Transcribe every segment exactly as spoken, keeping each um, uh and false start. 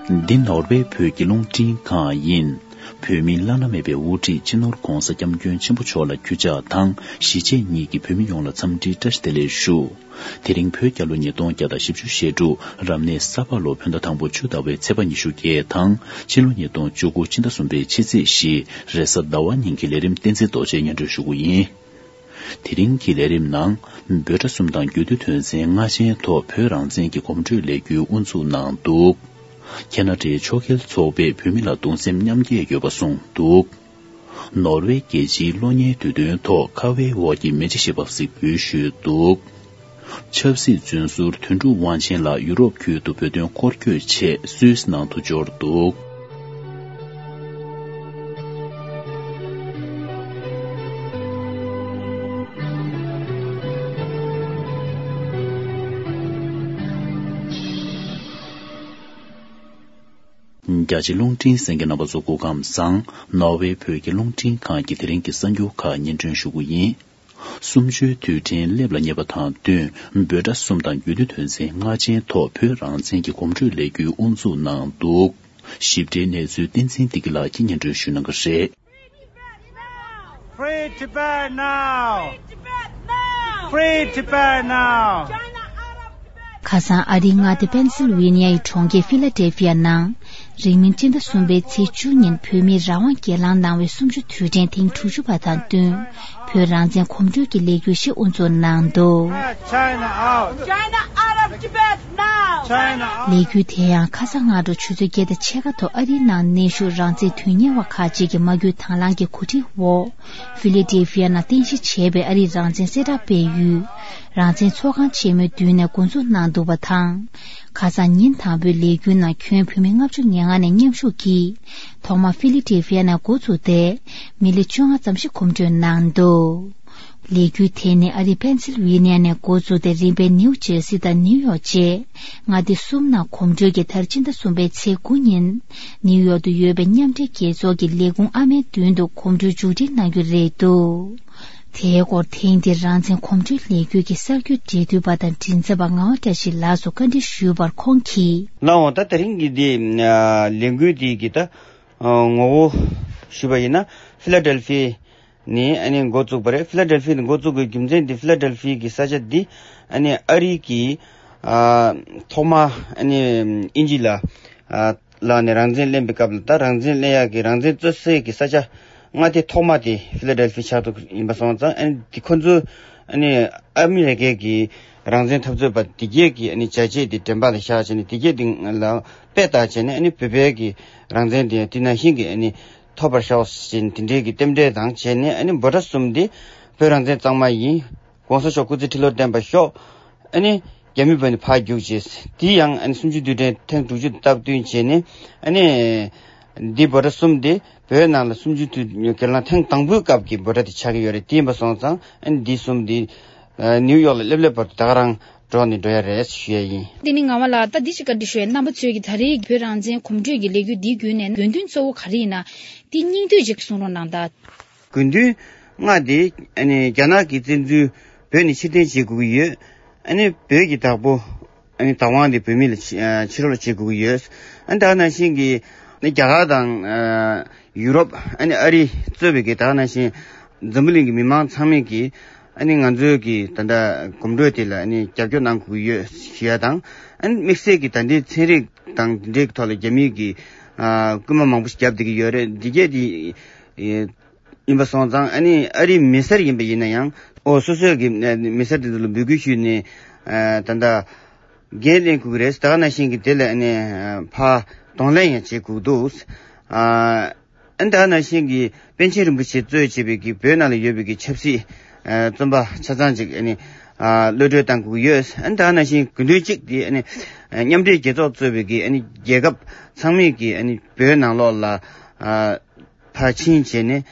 འདི་ནོར་ཝེ་བོད་ཀྱི་རླུང་འཕྲིན་ཁང་ཡིན། བོད་མིའི་བླ་ན་མེད་པའི་དབུ་ཁྲིད་སྤྱི་ནོར་༧གོང་ས་༧སྐྱབས་མགོན་ཆེན་པོ་མཆོག་ལ་གུས་ཕྱག་དང་གཞིས་བྱེས་གཉིས་ཀྱི་བོད་མི་ཡོངས་ལ་འཚམས་འདྲིའི་བཀྲ་ཤིས་བདེ་ལེགས་ཞུ། དེ་རིང་བོད་རྒྱལ་ལོ་ཉིས་སྟོང་བརྒྱ་དང་བཞི་བཅུ་ཞེ་དྲུག་རབ་གནས་ས་ཕག་ལོ་བོད་ཟླ་དང་པོ་བཅུ་ཟླ་བའི་ཚེས་པ་ཉི་ཤུ་བརྒྱད་དང་ཕྱི་ལོ་ཉིས་སྟོང་བཅུ་དགུ་ཕྱི་ཟླ་གསུམ་པའི་ཕྱི་ཚེས་བཞི་རེས་གཟའ་ཟླ་བ་ཉིན་གྱི་ལས་རིམ་བསྟན་འཛིན་རྡོ་རྗེས་སྙན་སྒྲོན་ཞུ་གི་ཡིན། དེ་རིང་གི་ལས་རིམ་ནང་། འབོད་སྒྲ་གསུམ་དང་རྒྱུད་སྟོད་དོན་ཚན་ལྔ་ཅན་ཐོག་བོད་རང་བཙན་གྱི་གོམ་བགྲོད་ལས་འགུལ་དབུ་འཛུགས་གནང་འདུག་ཁེ་ན་ཌའི་ཕྱོགས་འགལ་ཚོགས་པས་བོད་མི་ལ་གདུང་སེམས་མཉམ་སྐྱེད་ཡོད་པ་གསུངས་འདུག་ནོར་ཝེ་རྒྱལ་སྤྱིའི་གློག་བརྙན་དུས་སྟོན་ཐོག་ཁ་བའི་འོག་གི་མེ་ལྕེ་ཞེས་པ་གཟིགས་འབུལ་ཞུས་འདུག་ཆབ་སྲིད་བཙོན་ཟུར་དོན་གྲུབ་དབང་ཆེན་ལགས་ཡུ་རོབ་ཁུལ་དུ་བོད་དོན་སྐོར་སྐྱོད་ཆེད་སུད་སི་ནང་དུ་འབྱོར་འདུག་རྒྱ་ཆེ་རླུང་འཕྲིན་གསན་མཁན་རྣམ་པ་ཚོ་སྐུ་ཁམས་བཟང་། ནོར་ཝེ་བོད་ཀྱི་རླུང་འཕྲིན་ཁང་གི་དེ་རིང་གི་གསར་འགྱུར་ཁག་སྙན་སྒྲོན་ཞུ་གི་ཡིན། གསུམ་བཅུའི་དུས་དྲན་སླེབས་ལ་ཉེ་བ་དང་བསྟུན་འབོད་སྒྲ་གསུམ་དང་རྒྱུད་སྟོད་དོན་ཚན་ལྔ་ཅན་ཐོག་བོད་རང་བཙན་གྱི་གོམ་བགྲོད་ལས་འགུལ་དབུ་འཛུགས་གནང་འདུག་ཞིབ་ཕྲའི་གནས་ཚུལ་བསྟན་འཛིན་བདེ་སྐྱིད་ལགས་ཀྱིས་སྙན་སྒྲོན་ཞུ་གནང་གི་རེད། Free Tibet now! Free Tibet now! Free Tibet now! ཁ་སང་ཨ་རིའི་མངའ་སྡེ་པེན་སིལ་ཝེ་ནི་ཡའི་གྲོང་ཁྱེར་ཕི་ལ་ཌེལ་ཕི་ཡ་ནང་། རིང་མིན་སྤྱི་ཟླ་གསུམ་པའི་ཚེས་བཅུ་ཉིན་བོད་མིས་རང་དབང་སྒེར་ལངས་གནང་བའི་གསུམ་བཅུ་དུས་དྲན་ཐེངས་དྲུག་ཅུ་པ་དང་བསྟུན། བོད་རང་བཙན་གོམ་བགྲོད་ཀྱི་ལས་འགུལ་ཞིག་དབུ་འཛུགས་གནང་འདུག China out! China out of Tibet now! China out! ལས་འགུལ་དེ་ཡང་ཁ་སང་སྔ་དྲོ་ཆུ་ཚོད་བརྒྱད་དང་ཕྱེད་ཀ་ཐོག་ཨ་རིའི་ནང་གནས་བཞུགས་རང་བཙན་དོན་གཉེར་བ་ཁག་ཅིག་གིས་མ་བསྐུལ་དང་བླངས་ཀྱི་གོ་སྒྲིག་འོག་ཕི་ལེ་ཌེལ་ཕི་ཡ་ནང་རྟེན་གཞི་བྱས་པའི་ཨ་རིའི་རང་བཙན་གསལ་བསྒྲགས་སྤེལ་ཡུལ། རང་བཙན་ཚོགས་ཁང་ཆེན་མོའི་མདུན་ནས་འགོ་འཛུགས་གནང་འདུག་པ་དང་། ཁ་སང་ཉིན་དང་པོའི་ལས་འགུལ་ནང་ཁྱོན་བོད་མི་ལྔ་བཅུ་ང་ལྔ་ནས་མཉམ་ཞུགས་ཀྱིས། ཐོག་མར་ཕི་ལི་ཌེལ་ཕི་ཡ་ནས་འགོ་བཙུགས་ཏེ། མི་ལེ་བཅོ་ལྔ་ཙམ་ཞིག་གོམ་བགྲོད་གནང་འདུག་ལས་འགུལ་དེ་ནི་ཨ་རི་པེན་སིལ་ཝེ་ནི་ཡ་ནས་འགོ་བཙུགས་ཏེ་རིམ་པས་ནིའུ་ཇེར་སི་དང་ནིའུ་ཡོག་བཅས་མངའ་སྡེ་གསུམ་ནང་གོམ་བགྲོད་ཀྱིས་མཐར་སྤྱི་ཟླ་གསུམ་པའི་ཚེས་དགུ་ཉིན་ནིའུ་ཡོག་ཏུ་ཡོད་པའི་མཉམ་འབྲེལ་རྒྱལ་ཚོགས་ཀྱི་ལས་ཁུངས་ཨ་མའི་མདུན་དུ་གོམ་བགྲོད་མཇུག་སྒྲིལ་གནང་རྒྱུ་རེད་འདུག་དེའི་སྐོར་ཐེངས་འདིའི་རང་བཙན་གོམ་བགྲོད་ལས་འགུལ་གྱི་གསར་འགྱུར་འབྲེལ་མཐུད་པ་དང་མགྲིན་ཚབ་པ་ངག་དབང་བཀྲ་ཤིས་ལགས་སུ་བཀའ་འདྲི་ཞུས་པར་ཁོང་གིས། ལགས་འོང་། ད་དེ་རིང་གི་འདི་ལས་འགུལ་འདི་གི་ད་ངོ་བོ་ཞུས་པ་ཡིན་ན་ཕི་ལ་ཌེལ་ཕི་ནས་ཨ་ནི་འགོ་བཙུགས་པ་རེད། ཕི་ལ་ཌེལ་ཕི་ནས་འགོ་བཙུགས་པའི་རྒྱུ་མཚན་འདི་ཕི་ལ་ཌེལ་ཕི་གི་ས་ཆ་འདི་ཨ་ནི་ཨ་རི་གི་ཐོག་མ་ཨ་ནི་དབྱིན་ཇི་ལ་ལག་ནས་རང་བཙན་ལེན་པའི་སྐབས་ལ་ད་རང་བཙན་ལེན་ཡག་གི་རང་བཙན་རྩོད་སའི་གི་ས་ཆ་མངའ་སྡེ་ཐོག་མ་དེ་ཕི་ལ་ཌེལ་ཕི་ཆགས་འདུག་ཡིན་པ་སོང་ཙང་ཨ་ནི་དེ་ཁོ་ཚོ་ཨ་ནི་ཨ་མི་རི་ཀའི་གི་རང་བཙན་འཐབ་རྩོད་པ་དེ་གས་ཀྱི་ཨ་ནི་བྱས་རྗེས་དེ་དྲན་པ་ལ་བཞག་བྱས་ནས་དེ་གས་དེ་ལ་དཔེ་བལྟས་བྱས་ནས་ཨ་ནི་བོད་པའི་གི་རང་བཙན་དེ་དེ་ནང་བཞིན་གི་ཨ་ནི་ཐོབ་པར་ཤོག་ཟེར་ནས་དེ་འདྲའི་གི་རྟེན་འབྲེལ་དང་བྱས་ནས་ཨ་ནི་འབོད་སྒྲ་གསུམ་དེ་བོད་རང་བཙན་གཙང་མ་ཡིན། ༸གོང་ས་མཆོག་སྐུ་ཚེ་ཁྲི་ལོ་བརྟན་པར་ཤོག་ཨ་ནི་རྒྱ་མི་བོད་ནས་ཕར་རྒྱུགས་བྱས། དེ་ཡང་ཨ་ནི་གསུམ་བཅུའི་དུས་དྲན་ཐེངས་དྲུག་ཅུ་དང་སྟབས་བསྟུན་བྱས་ནས་ཨ་ནི་འདི་འབོད་སྒྲ་གསུམ་དེ་བོད་ནང་ལ་གསུམ་བཅུའི་དུས་སྒེར་ལངས་ཐེངས་དང་པོའི་སྐབས་ཀྱི་འབོད་སྒྲ་དེ་ཆགས་ཀྱི་ཡོད་རེད། དེ་ཡིན་པ་སོང་ཙང་ཨ་ནི་འདི་གསུམ་དེ་ནིའུ་ཡོག་ལ་སླེབས་སླེབས་བར་དུ་ད་ག་རང་འགྲོ་ནས་འགྲོ་ཡ་རེད་ཞུ་ཡ་ཡིན། དེ་ནི་ངག་དབང་ལགས། ད་འདི་ཞིག་བཀའ་འདྲི་ཞུ་ཡ། རྣམ་པ་ཚོས་ཀྱི་ད་རེས་བོད་རང་བཙན་གོམ་བགྲོད་ཀྱི་ལས་འགུལ་འདིའི་བརྒྱུད་ནས་དགོས་འདུན་གཙོ་བོ་ག་རེ་ཡིན་ན། དེ་སྙིང་བསྡུས་ཅིག་གསུང་རོགས་གནང་དང་། དགོས་འདུན་ལྔ་དེ་ཨ་ནི་རྒྱ་ནག་གི་བཙན་འཛུལ་བོད་ནས་ཕྱིར་འཐེན་བྱེད་དགོས་ཀྱི་ཡོད། ཨ་ནི་བོད་ཀྱི་བདག་པོ་ཨ་ནི་བདག་དབང་དེ་བོད་མི་ལ་ཕྱི་ཨ་ཕྱི་རོལ་བྱེད་དགོས་ཀྱི་ཡོད། ཨ་ནི་ད་ག་ནང་བཞིན་གྱི་ཨ་ནི་རྒྱ་གར་དང་ཨ་ཡུ་རོབ་ཨ་ནི་ཨ་རི་གཙོས་པའི་གི་ད་ག་ནང་བཞིན་འཛམ་བུ་གླིང་གི་མི་མང་ཚང་མས་ཀྱི་ཨ་ནི་ང་ཚོའི་གི་ད་ལྟ་གོམ་བགྲོད་དེ་ལ་ཨ་ནི་རྒྱབ་སྐྱོར་གནང་དགོས་ཀྱི་ཡོད་ཞུ་ཡ་དང་། ཨ་ནི་དམིགས་བསལ་གྱི་ད་ལྟའི་ཚན་རིག་དང་དེ་འབྲེལ་གྱི་ཐོག་ལ་རྒྱ་མིས་ཀྱི་ཨ་སྐུལ་མ་མང་པོ་ཞིག་བརྒྱབ་བསྡད་ཀྱི་ཡོད་རེད། འདི་གས་དེ་ཡིན་པ་སོང་ཙང་ཨ་ནི་ཨ་རིའི་མི་སེར་ཡིན་པ་ཡིན་ན་ཡང་ཨོ་སོ་སོའི་གི་མི་སེར་དེ་ཚོ་ལ་འབོད་སྐུལ་ཞུས་ནས་ཨ་ད་ལྟ་འགན་ལེན་དགོས་ཀྱི་རེད། ད་ག་ནང་བཞིན་གྱི་དེ་ལ་ཨ་ནི་ཕར་གདོང་ལེན་ཡང་བྱེད་དགོས་འདུག་ཨ་ཨ་ད་ག་ནང་བཞིན་གྱི་པཎ་ཆེན་རིན་པོ་ཆེ་གཙོས་བྱས་པའི་གི་བོད་ནང་ལ་ཡོད་པའི་གི་ཆབ་སྲིད་ཨ་བཙོན་པ་ཆ་ཚང་ཅིག་ཨ་ནི་ཨ་གློད་གྲོལ་གཏང་དགོས་ཀྱི་ཡོད། ཨ་ད་ག་ནང་བཞིན་དགོས་འདུན་གཅིག་དེ་ཨ་ནི་མཉམ་འབྲེལ་རྒྱལ་ཚོགས་གཙོས་པའི་གི་ཨ་ནི་རྒྱལ་ཁབ་ཚང་མས་གི་ཨ་ནི་བོད་ནང་ལོགས་ལ་ཨ་ཕར་ཕྱིན་བྱས་ནས་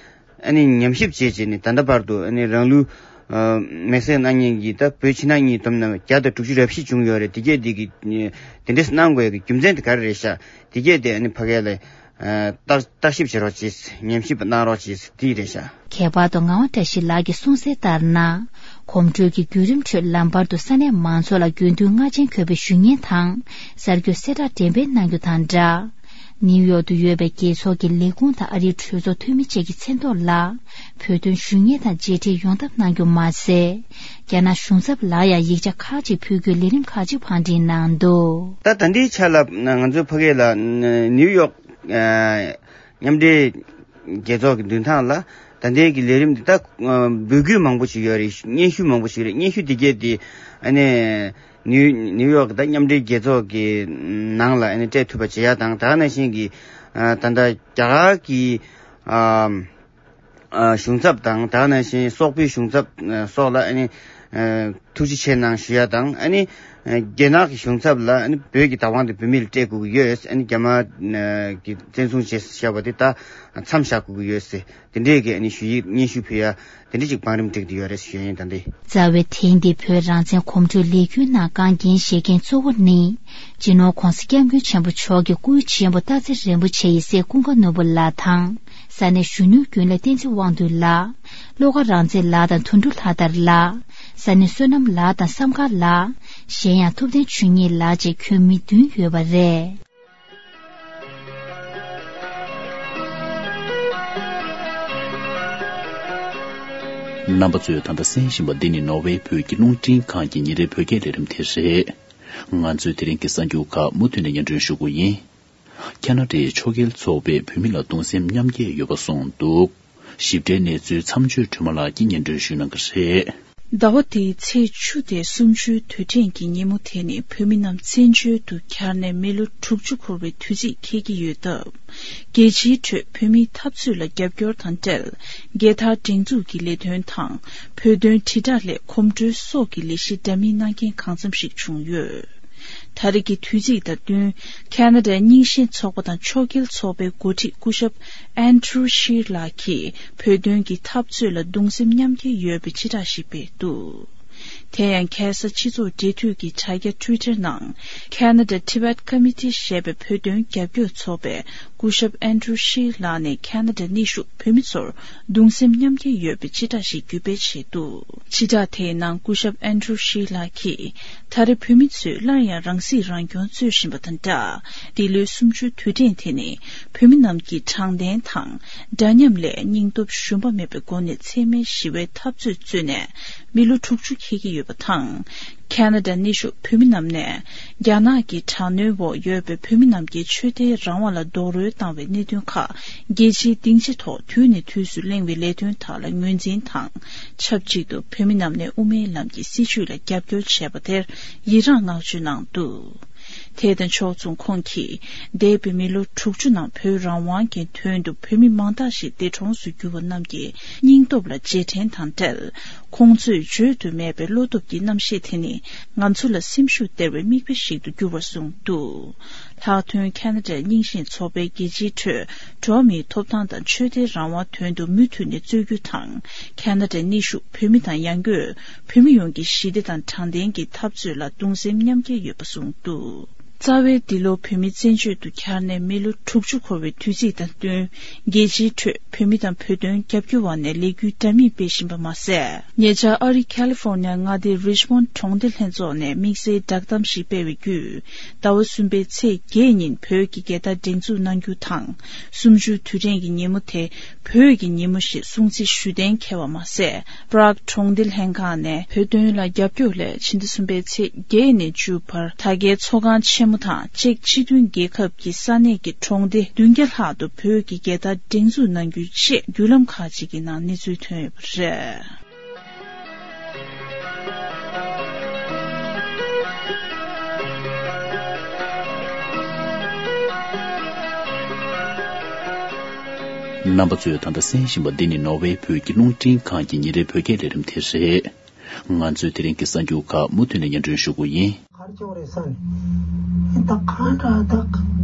ཨ་ནི་ཉམས་ཞིབ་བྱས་བྱས་ནས་ད་ལྟ་བར་དུ་ཨ་ནི་རང་ལུས་ཨ་མེར་སྲེག་གནང་མཁན་གྱི་ད་བོད་ཕྱི་ནང་གཉིས་བསྡོམས་ན་བརྒྱ་དང་དྲུག་ཅུ་རེ་བཞི་བྱུང་ཡོད་རེད། དེ་གས་དེ་གི་དེ་འདྲས་གནང་དགོས་ཀྱི་རྒྱུ་མཚན་དེ་ག་རེ་རེད་ཤག་དེ་གས་དེ་ཨ་ནི་ཕ་གི་ལ་ཨ་བརྟག་བརྟག་ཞིབ་བྱེད་རོགས་བྱེད། ཉམས་ཞིབ་གནང་རོགས་བྱེད། དེ་རེད་ཤག་ཁྱད་པར་དུ་ངག་དབང་བཀྲ་ཤིས་ལགས་ཀྱིས་གསུངས་གསལ་ལྟར་ན། གོམ་བགྲོད་ཀྱི་བརྒྱུད་རིམ་ཁྲོད་ལམ་བར་དུ་ས་གནས་མང་ཚོགས་ལ་དགོས་འདུན་ལྔ་ཅན་འཁོད་པའི་ཞུ་སྙན་དང་གསར་འགོད་གསལ་བསྒྲགས་འགྲེམས་སྤེལ་གནང་རྒྱུ་དང་སྦྲགས། ནིའུ་ཡོག་ཏུ་ཡོད་པའི་རྒྱལ་ཚོགས་ཀྱི་ལས་ཁུངས་དང་ཨ་རིའི་གྲོས་ཚོགས་འཐུས་མི་བཅས་ཀྱི་མཚན་ཐོག་ལ་བོད་དོན་ཞུ་སྙན་དང་མཇལ་འཕྲད་ཡོང་ཐབས་གནང་རྒྱུ་མ་ཟད། རྒྱ་ནག་གཞུང་ཚབ་ལ་ཡང་ཡིག་ཆ་ཁག་ཅིག་ཕུལ་རྒྱུའི་ལས་རིམ་ཁག་ཅིག་བང་སྒྲིག་གནང་འདུག་ད་ད་ལྟའི་ཆ་ལ་ང་ཚོའི་ཕ་གི་ལ་ནིའུ་ཡོག་མཉམ་འབྲེལ་རྒྱལ་ཚོགས་ཀྱི་མདུན་ཐང་ལ་ད་ལྟའི་གི་ལས་རིམ་འདི་ད་འབོད་སྐུལ་མང་པོ་ཞིག་ཡོད་རེད། སྙན་ཞུ་མང་པོ་ཞིག་རེད། སྙན་ཞུ་འདི་གས་འདི་ཨ་ནི་ནིའུ་ནིའུ་ཡོག་གི་ད་མཉམ་འབྲེལ་རྒྱལ་ཚོགས་ཀྱི་ནང་ལ་ཨ་ནི་སྤྲད་ཐུབ་པ་བྱེད་ཡ་དང་། ད་ག་ནང་བཞིན་གྱི་ད་ལྟ་རྒྱ་གར་གྱི་གཞུང་ཚབ་དང་། ད་ག་ནང་བཞིན་སོག་པོའི་གཞུང་ཚབ་སོགས་ལ་ཨ་ནི་ཐུགས་རྗེ་ཆེ་གནང་ཞུ་ཡ་དང་། ཨ་ནི་རྒྱ་ནག་གི་གཞུང་ཚབ་ལ་ཨ་ནི་བོད་ཀྱི་བདག་དབང་དེ་བོད་མི་ལ་སྤྲད་དགོས་ཀྱི་ཡོད། ཨ་ནི་རྒྱ་དམར་གྱིས་བཙན་བཟུང་བྱས་བཞག་པ་དེ་ད་མཚམས་བཞག་དགོས་ཀྱི་ཡོད་ཟེར། དེ་འདྲས་ཀྱི་ཨ་ནི་ཞུ་ཡིག་སྙན་ཞུ་ཕུལ་ཡ་དེ་འདྲས་ཅིག་བང་རིམ་བསྒྲིགས་བསྡད་ཡོད་རེད་ཞུ་ཡ་ཡིན། ད་འདི། རྩ་བའི་ཐེངས་འདིའི་བོད་རང་བཙན་གོམ་བགྲོད་ལས་འགུལ་ནང་རྐང་འགན་བཞེས་མཁན་གཙོ་བོ་ནི། སྤྱི་ནོར་༧གོང་ས་༧སྐྱབས་མགོན་ཆེན་པོ་མཆོག་གི་སྐུའི་གཅེན་པོ་སྟག་འཚེར་རིན་པོ་ཆེ་ཡི་སྲས་ཀུན་དགའ་ནོར་བུ་ལགས་དང་། ས་གནས་གཞོན་ནུའི་རྒྱུན་ལས་བསྟན་འཛིན་དབང་འདུས་ལགས། བློ་དགའ་རང་བཙན་ལགས་དང་དོན་གྲུབ་ལྷ་དར་ལགས། ས་གནས་བསོད་ནམས་ལགས་དང་བསམ་དཀར་ལགས། གཞན་ཡང་ཐུབ་བསྟན་ཆོས་ཉིད་ལགས་བཅས་ཁྱོན་མི་བདུན་ཡོད་པ་རེད། རྣམ་པ་ཚོས་ད་ལྟ་གསན་བཞིན་པ་འདི་ནི་ནོར་ཝེ་བོད་ཀྱི་རླུང་འཕྲིན་ཁང་གི་ཉིན་རེའི་བོད་སྐད་ལས་རིམ་དེ་རེད། ང་ཚོས་དེ་རིང་གི་གསར་འགྱུར་ཁག་མུ་མཐུད་ནས་སྙན་སྒྲོན་ཞུ་གི་ཡིན། ཁ་ན་ཌའི་ཆོས་རྒྱལ་ཚོགས་པས་བོད་མི་ལ་གདུང་སེམས་མཉམ་སྐྱེད་ཡོད་པ་གསུངས་འདུག་ཞིབ་ཕྲའི་གནས་ཚུལ་མཚམས་གཅོད་སྒྲོལ་མ་ལགས་ཀྱིས་སྙན་སྒྲོན་ཞུ་གནང་གི་རེད། ཟླ་བ་འདིའི་ཚེས་བཅུ་སྟེ་གསུམ་བཅུའི་དུས་དྲན་གྱི་ཉིན་མོ་དེ་ནི་བོད་མི་རྣམས་བཙན་བྱོལ་དུ་གྱར་ནས་མི་ལོ་དྲུག་ཅུ་འཁོར་བའི་དུས་ཚིགས་འཁེལ་གྱི་ཡོད་སྟབས། རྒྱལ་སྤྱིའི་ཁྲོད་བོད་མིའི་འཐབ་རྩོད་ལ་རྒྱབ་སྐྱོར་དང་འབྲེལ། རྒྱལ་དར་སྒྲེང་འཛུགས་ཀྱི་ལས་དོན་དང་། བོད་དོན་དྲིལ་བསྒྲགས་སླད་གོམ་བགྲོད་སོགས་ཀྱི་ལས་གཞི་འདྲ་མིན་གནང་མཁན་གང་འཚམ་ཞིག་བྱུང་ཡོད། ད་རེས་ཀྱི་དུས་ཚིགས་དང་བསྟུན། ཁ་ན་ཌའི་རྙིང་ཞེན་ཚོགས་པ་དང་ཆོས་རྒྱལ་ཚོགས་པའི་འགོ་ཁྲིད་སྐུ་ཞབས་ཨན་ཌྲུ་ཤིར་ལགས་ཀྱིས་བོད་དོན་གྱི་འཐབ་རྩོད་ལ་གདུང་སེམས་མཉམ་སྐྱེད་ཡོད་པའི་སྤྱི་བསྒྲགས་ཤིག་སྤེལ་འདུག་དེ་ཡང་ཁ་ས་སྤྱི་ཚོགས་འབྲེལ་མཐུད་ཀྱི་དྲ་རྒྱ་Twitter་ནང་ཁ་ན་ཌ་Tibet Committee་ཞེས་པའི་བོད་དོན་རྒྱབ་སྐྱོར་ཚོགས་པས་སྐུ་ཞབས་ཨན་ཌྲུ་ཤིར་ལགས་ནས་ཁ་ན་ཌ་གནས་བཞུགས་བོད་མི་ཚོར་གདུང་སེམས་མཉམ་སྐྱེད་ཡོད་པའི་སྤྱི་བསྒྲགས་ཤིག་བརྒྱུད་སྤེལ་བྱས་འདུག་སྤྱི་བསྒྲགས་དེའི་ནང་སྐུ་ཞབས་ཨན་ཌྲུ་ཤིར་ལགས་ཀྱིས། ད་རེས་བོད་མི་ཚོས་སླར་ཡང་རང་སྲིད་རང་སྐྱོང་རྩོད་བཞིན་པ་དང་སྦྲགས། འདི་ལོའི་གསུམ་བཅུའི་དུས་དྲན་དེ་ནི་བོད་མི་རྣམས་ཀྱིས་དྲང་བདེན་དང་། འདྲ་མཉམ་ལས་སྙིང་སྟོབས་ཞུམ་པ་མེད་པའི་སྒོ་ནས་འཚེ་མེད་ཞི་བའི་འཐབ་རྩོད་བརྩོན་ནས་མི་ལོ་དྲུག་ཅུ་འཁེལ་གྱི་ཡོད་པ་དང་། ཁ་ན་ཌ་གནས་བཞུགས་བོད་མི་རྣམས་ནས་རྒྱ་ནག་གི་དྲག་གནོན་འོག་ཡོད་པའི་བོད་མི་རྣམས་ཀྱི་ཆོས་དད་རང་དབང་ལ་རྡོག་རོལ་བཏང་བའི་གནད་དོན་ཁག་རྒྱལ་སྤྱིའི་སྡིངས་ཆ་ཐོག་དུས་ནས་དུས་སུ་གླེང་བའི་ལས་དོན་དག་ལ་ངོས་འཛིན་དང་། ཆབས་ཅིག་ཏུ་བོད་མི་རྣམས་ནས་དབུ་མའི་ལམ་གྱི་སྲིད་བྱུས་ལ་རྒྱབ་སྐྱོར་བྱས་པ་དེར་ཡི་རངས་བསྔགས་བརྗོད་གནང་འདུག་དེ་དང་ཕྱོགས་མཚུངས་ཁོང་གིས་འདས་པའི་མི་ལོ་དྲུག་ཅུ་ནང་བོད་རང་དབང་གི་དོན་དུ་བོད་མི་མང་དག་ཞིག་འདས་གྲོངས་སུ་གྱུར་བ་རྣམས་ཀྱི་སྙིང་སྟོབས་ལ་རྗེས་དྲན་དང་འབྲེལ། ཁོང་ཚོས་བརྗོད་དུ་མེད་པའི་བློ་སྟོབས་ཀྱི་རྣམ་ཤེས་དེ་ནི་ང་ཚོ་ལ་སེམས་ཤུགས་སྟེར་བའི་མིག་དཔེ་ཞིག་ཏུ་གྱུར་བར་གསུངས་འདུག་ལྷག་དོན་ཁ་ན་ཌའི་རྙིང་ཞེན་ཚོགས་པས་རྒྱལ་སྤྱིའི་ཁྲོད་འགྲོ་བ་མིའི་ཐོབ་ཐང་དང་ཆོས་དད་རང་དབང་དོན་དུ་མུ་མཐུད་ནས་རྩོད་རྒྱུ་དང་། ཁ་ན་ཌའི་གནས་བཞུགས་བོད་མི་དང་ཡང་སྒོས་བོད་མི་ཡོངས་ཀྱི་ཞི་བདེ་དང་དྲང་བདེན་གྱི་འཐབ་རྩོད་ལ་གདུང་སེམས་མཉམ་སྐྱེད་ཡོད་པ་གསུངས་འདུག་རྩ་བའི་འདི་ལོ་བོད་མི་བཙན་བྱོལ་དུ་གྱར་ནས་མི་ལོ་དྲུག་ཅུ་འཁོར་བའི་དུས་ཚིགས་དང་བསྟུན། རྒྱལ་སྤྱིའི་ཁྲོད་བོད་མི་དང་བོད་དོན་རྒྱབ་སྐྱོར་བ་ནས་ལས་འགུལ་འདྲ་མིན་སྤེལ་བཞིན་པ་མ་ཟད། ཉེ་ཆར་ཨ་རིའི་ཁ་ལི་ཧྥོར་ནི་ཡ་མངའ་སྡེའི་རི་ཆི་མོན་གྲོང་སྡེ་ལྷན་ཚོགས་ནས་དམིགས་བསལ་བསྒྲགས་གཏམ་ཞིག་སྤེལ་བའི་བརྒྱུད། ཟླ་བ་གསུམ་པའི་ཚེས་བརྒྱད་ཉིན་བོད་ཀྱི་རྒྱལ་དར་སྒྲེང་འཛུགས་གནང་རྒྱུ་དང་། གསུམ་བཅུའི་དུས་དྲན་གྱི་ཉིན་མོ་དེ་བོད་ཀྱི་ཉིན་མོ་ཞེས་སྲུང་བརྩི་ཞུ་གཏན་འཁེལ་བ་མ་ཟད། པྲག་གྲོང་སྡེ་ལྷན་ཁང་ནས་བོད་དོན་ལ་རྒྱབ་སྐྱོར་སླད་ཕྱི་ཟླ་གསུམ་པའི་ཚེས་བརྒྱད་ནས་བཅུ་བར་ད་གའི་ཚོགས་ཁང་ཆེན་མོ་དང་ཅེཀ་སྤྱི་མཐུན་རྒྱལ་ཁབ་ཀྱི་ས་གནས་ཀྱི་གྲོང་སྡེ་བདུན་བརྒྱ་ལྷག་ཏུ་བོད་ཀྱི་རྒྱལ་དར་སྒྲེང་འཛུགས་གནང་རྒྱུ་བཅས་བརྒྱུད་ལམ་ཁག་ཅིག་གི་ནང་གནས་ཚུལ་ཐོན་ཡོད་པ་རེད། རྣམ་པ་ཚོས་ད་ལྟ་གསན་བཞིན་པ་འདི་ནི་ནོར་ཝེ་བོད་ཀྱི་རླུང་འཕྲིན་ཁང་གི་ཉིན་རེའི་བོད་སྐད་ལས་རིམ་དེ་རེད། ང་ཚོས་དེ་རིང་གི་གསར་འགྱུར་ཁག་མུ་མཐུད་ནས་སྙན་སྒྲོན་ཞུ་གི་ཡིན། གར་བྱུང་རེད་ས་ནས་ད་གང་འདྲ་ད་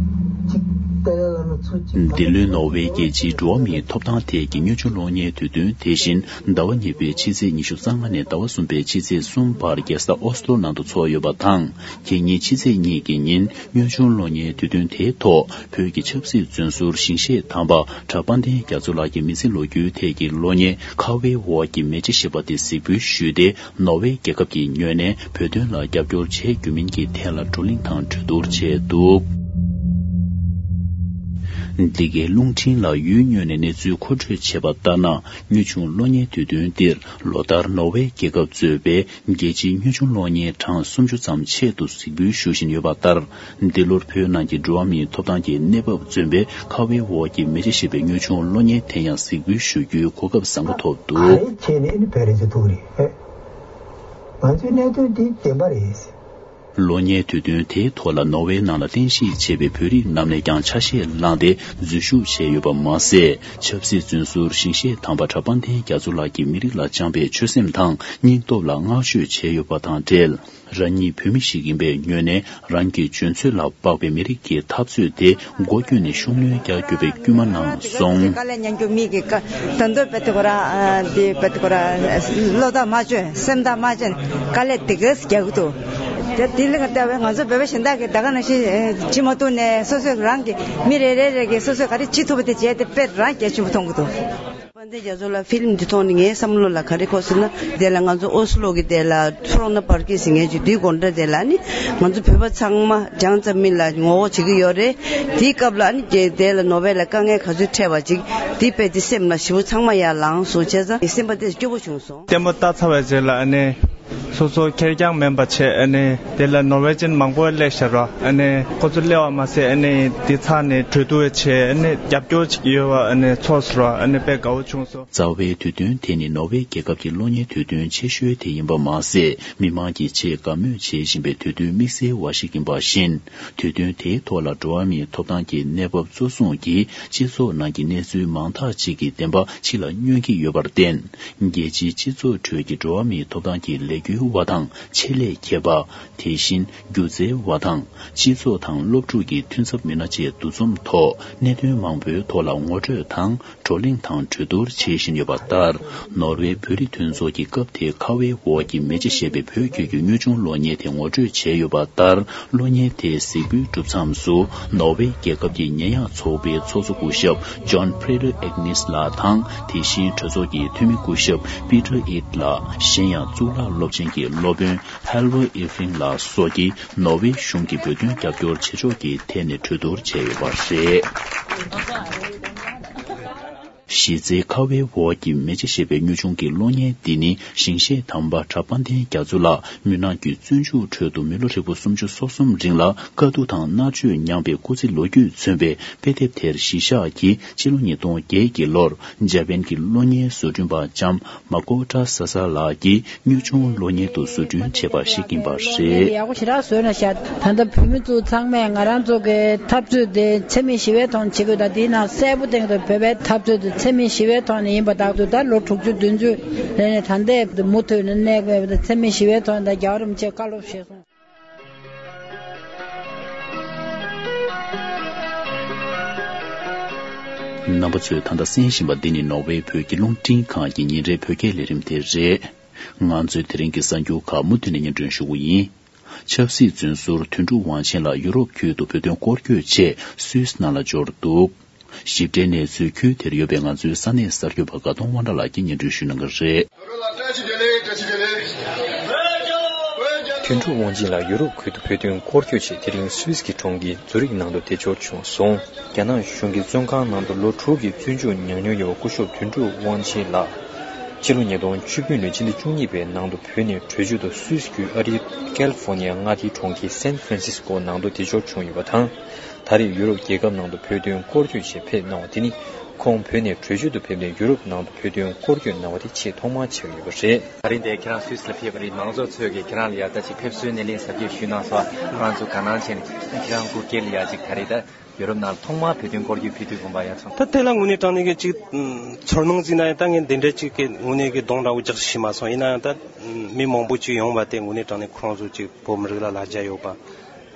ཅིག་དེ་ལ་ལ་ འདི་ལོའི་ནོར་ཝེ་རྒྱལ་སྤྱིའི་འགྲོ་བ་མིའི་ཐོབ་ཐང་ཐད་ཀྱི་དངོས་བྱུང་གློག་བརྙན་དུས་སྟོན་དེ་བཞིན་ཟླ་བ་གཉིས་པའི་ཕྱི་ཚེས་ཉི་ཤུ་རྩ་ལྔ་ནས་ཟླ་བ་གསུམ་པའི་ཕྱི་ཚེས་གསུམ་བར་རྒྱལ་ས་ཨོ་སི་ལོ་ནང་དུ་འཚོགས་ཡོད་པ་དང་། ཁེ་ཉིན་ཕྱི་ཚེས་གཉིས་ཀྱི་ཉིན་དངོས་བྱུང་གློག་བརྙན་དུས་སྟོན་དེའི་ཐོག་བོད་ཀྱི་ཆབ་སྲིད་བཙོན་ཟུར་ཞིང་གཤེགས་དམ་པ་གྲྭ་དཔལ་ལྡན་རྒྱ་མཚོ་ལགས་ཀྱི་མི་ཚེ་ལོ་རྒྱུས་ཐད་ཀྱི་གློག་བརྙན་ཁ་བའི་འོག་གི་མེ་ལྕེ་ཞེས་པ་དེ་གཟིགས་འབུལ་ཞུས་ཏེ། ནོར་ཝེ་རྒྱལ་ཁབ་ཀྱིས་ངོས་ནས་བོད་དོན་ལ་རྒྱབ་སྐྱོར་བྱེད་རྒྱུ་མིན་གྱི་ཐད་ལ་བགྲོ་གླེང་དང་གྲོས་བསྡུར་བྱས་འདུག་འདི་གའི་རླུང་འཕྲིན་ལ་ཡུལ་དངོས་ནས་གནས་ཚུལ་མཁོ་སྤྲོད་བྱས་པ་ལྟར་ན། དངོས་བྱུང་གློག་བརྙན་དུས་སྟོན་འདིར་ལོ་ལྟར་ནོར་ཝེ་རྒྱལ་ཁབ་གཙོས་པའི་རྒྱལ་སྤྱིའི་དངོས་བྱུང་གློག་བརྙན་གྲངས་སུམ་ཅུ་ཙམ་ཆེད་དུ་གཟིགས་འབུལ་ཞུ་བཞིན་ཡོད་པ་ལྟར། འདི་ལོར་བོད་ནང་གི་འགྲོ་བ་མིའི་ཐོབ་ཐང་གི་གནས་བབ་མཚོན་པའི་ཁ་བའི་འོག་གི་མེ་ལྕེ་ཞེས་པའི་དངོས་བྱུང་གློག་བརྙན་དེ་ཡང་གཟིགས་འབུལ་ཞུ་རྒྱུའི་གོ་སྐབས་བཟང་པོ་ཐོབ་འདུག་ག་རེ་བྱས་ནས་ནི་བོད་རིགས་ཚོ་ཐུག་རེད། ང་ཚོའི་གནད་དོན་འདི་བདེན་པ་རེད། གློག་བརྙན་དུས་སྟོན་དེའི་ཐོག་ལ་ནོར་ཝེ་ནང་ལ་རྟེན་གཞི་བྱས་པའི་བོད་རིགས་རྣམས་ནས་ཀྱང་ཆ་ཤས་བླངས་ཏེ་འཛུལ་ཞུགས་བྱས་ཡོད་པ་མ་ཟད། ཆབ་སྲིད་བཙོན་ཟུར་ཞིང་གཤེགས་དམ་པ་གྲྭ་དཔལ་ལྡན་རྒྱ་མཚོ་ལགས་ཀྱིས་མི་རིགས་ལ་བཅངས་པའི་ཆོད་སེམས་དང་སྙིང་སྟོབས་ལ་བསྔགས་བརྗོད་བྱས་ཡོད་པ་དང་འབྲེལ། རང་ཉིད་བོད་མི་ཞིག་ཡིན་པའི་ངོས་ནས། རང་གི་འཇོན་ཚོད་ལ་དཔག་པའི་མི་རིགས་ཀྱི་འཐབ་རྩོད་དེ་སྒོ་ཀུན་ནས་ཤུགས་སྣོན་རྒྱག་རྒྱུ་བའི་སྐུལ་མ་གནང་སོང་། དཀའ་ལས་མྱངས་རྒྱུ་མི་གི་དཀའ་དོན་དུ་བེད་ཐུག་ར་དེ་བེད་ཐུག་ར་བློ་ཐག་མ་ཆོད་སེམས་ཐག་མ་ཆོད་དཀའ་ལས་དེ་གས་རྒྱག་གི་འདུག་དེ་དེ་ལ་ལྟ་བའི་ང་ཚོ་བོད་པ་གཞན་དག་གི་ད་ག་ནང་བཞིན་ཅི་མ་ཐུག་ནས་སོ་སོས་རང་གི་མི་རེ་རེ་རེ་གི་སོ་སོས་ག་རེ་ཅི་ཐུབ་པ་དེ་བྱས་ཏེ་དཔེ་རང་གལ་ཆེན་པོ་མཐོང་གི་འདུག་དཔལ་ལྡན་རྒྱ་མཚོ་ལགས་ཕིལམ་འདི་མཐོང་ནས་ངའི་བསམ་བློ་ལ་ག་རེ་འཁོར་ཟེར་ན། དེ་ལ་ང་ཚོ་ཨོ་སི་ལོ་གི་དེ་ལ་ཁྲོ་ན་པར་ཀི་ཟེར་མཁན་ཅིག་དུས་དགོང་དྲོ་དེ་ལ་ནི་ང་ཚོ་བོད་པ་ཚང་མ་རྒྱང་ཙམ་མི་ལ་ངོ་རྒོལ་བྱེད་ཀྱི་ཡོད་རེད། དེའི་སྐབས་ལ་ནི་དེ་ལ་ནོ་བེལ་ལ་དཀའ་ངལ་ག་ཚོད་འཕྲད་པ་ཅིག་དེ་དཔེ་དེ་སེམས་ལ་ཞེ་པོ་ཚང་མ་ཡར་ལངས་སོང་བྱས་ཙང་སེམས་པ་དེ་སྐྱོ་པོ་བྱུང་སོང་། བརྟན་པོ་ལྟ་ཚར་བའི་རྗེས་ལ་ཨ་ནི། སོ་སོ་ཁེར་རྐྱང་མིན་པ་བྱས་ཨ་ནི་དེ་ལ་ནོར་ཝེ་ཅན་མང་པོ་སླེབས་ཤག་ར། ཨ་ནི་ཁོ་ཚོ་སླེབས་པ་མ་ཟད་ཨ་ནི་དེ་ཚར་ནས་གྲོས་བསྡུར་བྱས་ཨ་ནི་རྒྱབ་སྐྱོར་བྱེད་ཀྱི་ཡོད་པ་ཨ་ནི་ཚོར་སོང་ར། ཨ་ནི་དཔེ་དགའ་བོ་བྱུང་སོང་། རྩ་བའི་དུས་སྟོན་དེ་ནི་ནོར་ཝེ་རྒྱལ་ཁབ་ཀྱི་གློག་བརྙན་དུས་སྟོན་ཆེ་ཤོས་དེ་ཡིན་པ་མ་ཟད། མི་མང་གིས་ཆེས་དགའ་མོས་བྱེད་བཞིན་པའི་དུས་སྟོན་དམིགས་བསལ་བ་ཞིག་ཡིན་པ་བཞིན། དུས་སྟོན་དེའི་ཐོག་ལ་འགྲོ་བ་མིའི་ཐོབ་ཐང་གི་གནས་བབ་གཙོ་བཟུང་གིས་སྤྱི་ཚོགས་ནང་གི་གནས་ཚུལ་མང་དག་ཅིག་གི་བདེན་པ་ཕྱི་ལ་སྙོན་གྱི་ཡོད་པར་བརྟེན། རྒྱལ་སྤྱིའི་སྤྱི་ཚོགས་ཁྲོད་ཀྱི་འགྲོ་བ་མིའི་ཐོབ་ཐང་གི་ལས་འགུལ་བ་དང་ཆེད་ལས་མཁས་པ། དེ་བཞིན་སྒྱུ་རྩལ་བ་དང་སྤྱི་ཚོགས་དང་སློབ་ཕྲུག་གི་མཐུན་ཚབ་མི་སྣ་བཅས་འདུ་འཛོམས་ཐོག་གནད་དོན་མང་པོའི་ཐོག་ལ་ངོ་སྤྲོད་དང་བགྲོ་གླེང་དང་གྲོས་བསྡུར་བྱེད་བཞིན་ཡོད་པ་ལྟར། ནོར་ཝེ་བོད་རིགས་མཐུན་ཚོགས་ཀྱིས་སྐབས་དེའི་ཁ་བའི་འོག་གི་མེ་ལྕེ་ཞེས་པའི་བོད་སྐད་ཀྱི་དངོས་བྱུང་གློག་བརྙན་དེ་ངོ་སྤྲོད་བྱས་ཡོད་པ་ལྟར། གློག་བརྙན་དེ་གཟིགས་འབུལ་གྲུབ་མཚམས་སུ། ནོར་ཝེ་རྒྱལ་ཁབ་ཀྱི་ཉེས་ཡངས་ཚོགས་པའི་ཚོགས་གཙོ་སྐུ་ཞབས་ཇོན་ཕྲེ་ལོ་ཨེག་ནིས་ལགས་དང་། དེ་བཞིན་གྲོས་ཚོགས་ཀྱི་འཐུས་མི་སྐུ་ཞབས་པི་ཏར་ཨིད་ལགས། གཞན་ཡང་གཙུག་ལག་སློབ་ཆེན་གྱི་སློབ་དཔོན་ཧལ་ཝར་ཨི་ཧྥིང་ལགས་སོགས་ཀྱིས་ནོར་ཝེ་གཞུང་གིས་བོད་དོན་རྒྱབ་སྐྱོར་བྱེད་ཕྱོགས་ཀྱི་ཐད་ནས་གྲོས་བསྡུར་བྱས་ཡོད་པ་རེད། གཞི་རྩའི་ཁ་བའི་འོག་གི་མེ་ལྕེ་ཞེས་པའི་དངོས་བྱུང་གི་གློག་བརྙན་འདི་ནི། ཞིང་གཤེགས་དམ་པ་གྲྭ་དཔལ་ལྡན་རྒྱ་མཚོ་ལགས་མུན་ནག་གི་བཙོན་འཇུག་ཁྲོད་དུ་མི་ལོ་ཧྲིལ་པོ་སུམ་ཅུ་སོ་གསུམ་རིང་ལ་དཀའ་སྡུག་དང་མནར་གཅོད་མྱངས་པའི་སྐུ་ཚེ་ལོ་རྒྱུས་མཚོན་པའི་དཔེ་དེབ་དེར་གཞི་བཞག་གིས། ཕྱི་ལོ་ཉིས་སྟོང་བརྒྱད་ཀྱི་ལོར་འཇར་པན་གྱི་གློག་བརྙན་བཟོ་སྐྲུན་པ་ལྕམ་མ་ཀོ་ཏྲ་ས་ས་ལགས་ཀྱིས་དངོས་བྱུང་གློག་བརྙན་དུ་བཟོ་སྐྲུན་བྱས་པ་ཞིག་ཡིན་པ་རེད། ཡག་པོ་ཞེ་དྲག་བཟོས་ན་ཤག་ད་ལྟ་བོད་མི་ཚོ་ཚང་མས་ང་རང་ཚོ་གི་འཐབ་རྩོད་དེ་འཚེ་མེད་ཞི་བའི་ཐོག་ནས་བྱེད་དགོས། ད་དེའི་ནང་གསལ་པོ་བསྟན་གྱི་འདུག་བོད་པའི་འཐབ་རྩོད་དེ་འཚེ་མེད་ཞི་བའི་ཐོག་ནས་ཡིན་པ་དག་ཏུ་ད་ལོ་དྲུག་ཅུ་བདུན་ཅུ་རེ་ནས་ད་ལྟའི་མུ་མཐུད་ནས་གནས་དགོས་པ་དང་། འཚེ་མེད་ཞི་བའི་ཐོག་ནས་ད་རྒྱལ་བ་རིན་པོ་ཆེས་བཀའ་སློབ་བཞེས་སོང་། རྣམ་པ་ཚོས་ད་ལྟ་གསན་བཞིན་པ་འདི་ནི་ནོར་ཝེ་བོད་ཀྱི་རླུང་འཕྲིན་ཁང་གི་ཉིན་རེའི་བོད་སྐད་ལས་རིམ་དེ་རེད། ང་ཚོས་དེ་རིང་གི་གསར་འགྱུར་ཁག་མུ་མཐུད་ནས་སྙན་སྒྲོན་ཞུ་གི་ཡིན། ཆབ་སྲིད་བཙོན་ཟུར་དོན་གྲུབ་དབང་ཆེན་ལགས་ཡུ་རོབ་ཁུལ་དུ་བོད་དོན་སྐོར་སྐྱོད་ཆེད་སུད་སི་ནང་ལ་འབྱོར་འདུག་ཞིབ་ཕྲའི་གནས་ཚུལ་ཁུལ་དེར་ཡོད་པའི་ང་ཚོའི་ས་གནས་གསར་འགོད་པ་དགའ་གདོང་དབང་གྲགས་ལགས་ཀྱིས་སྙན་སྒྲོན་ཞུ་གནང་གི་རེད། བཀྲ་ཤིས་བདེ་ལེགས། བཀྲ་ཤིས་བདེ་ལེགས། དོན་གྲུབ་དབང་ཆེན་ལགས་ཡུ་རོབ་ཁུལ་དུ་བོད་དོན་སྐོར་སྐྱོད་ཆེད་དེ་རིང་སུད་སི་གི་གྲོང་ཁྱེར་ཛུ་རིག་ནང་དུ་བདེ་འབྱོར་བྱུང་སོང་། རྒྱ་ནག་གཞུང་གི་བཙོན་ཁང་ནང་དུ་ལོ་དྲུག་གི་བཙོན་འཇུག་མྱངས་མྱོང་ཡོད་པ་སྐུ་ཞབས་དོན་གྲུབ་དབང་ཆེན་ལགས། ཕྱི་ལོ་ཉིས་སྟོང་བཅུ་བདུན་ལོའི་ཕྱི་ཟླ་བཅུ་གཉིས་པའི་ནང་དུ་བོད་ནས་བྲོས་བྱོལ་དུ་སུད་སི་རྒྱུད་ཨ་རིའི་ཀལ་ཧྥོར་ནི་ཡ་མངའ་སྡེའི་གྲོང་ཁྱེར་སན་ཧྥ་རན་སིས་ཀོ་ནང་དུ་བདེ་འབྱོར་བྱུང་ཡོད་པ་དང་། ད་རེས་ཡུ་རོབ་རྒྱལ་ཁབ་ནང་དུ་བོད་དོན་སྐོར་སྐྱོད་ཆེད་ཕེབས་གནང་བ་དེ་ནི། ཁོང་བོད་ནས་བྲོས་བྱོལ་དུ་ཕེབས་ནས་ཡུ་རོབ་ནང་དུ་བོད་དོན་སྐོར་སྐྱོད་གནང་བ་དེ་ཆེས་ཐོག་མ་ཆགས་ཡོད་པ་རེད། ད་རིང་འདིར་ཁྱེད་རང་སུད་སི་ལ་ཕེབས་པ་རེད། མང་ཚོགས་ཚོས་ཀྱིས་ཁྱེད་རང་ལ་ཡ་ད་ཅིག་ཕེབས་བསུའི་སྣེ་ལེན་གཟབ་རྒྱས་ཞུས་གནང་སོང་། ང་ཚོ་དགའ་སྣང་བྱས་ནས་ཁྱེད་རང་སྐུ་སྒེར་ལ་ཡ་ཅིག་ད་རེས་ད་ཡུ་རོབ་ནང་ཐོག་མར་བོད་དོན་སྐོར་སྐྱོད་ཕེབས་དུས་དགོངས་པ་ཡ་ཚོར། ད་དེ་ལ་དངོས་གནས་དྲང་གནས་ཀྱི་ཅིག་ཚོར་སྣང་བརྩིས་ན་ཡང་ད་ངས་འདི་འདྲའི་ཅིག་གི་དངོས་གནས་ཀྱི་གདོང་འདྲ་བོ་རྒྱག་ཤེས་མ་སོང་། ཡིན་ན་ཡང་ད་མི་མང་པོ་ཅིག་ཡོང་བ་དེ་དངོས་གནས་དྲང་གནས་ཁོ་རང་ཚོ་ཅིག་བོད་མི་རིགས་ལ་ལ་རྒྱ་ཡོད་པ།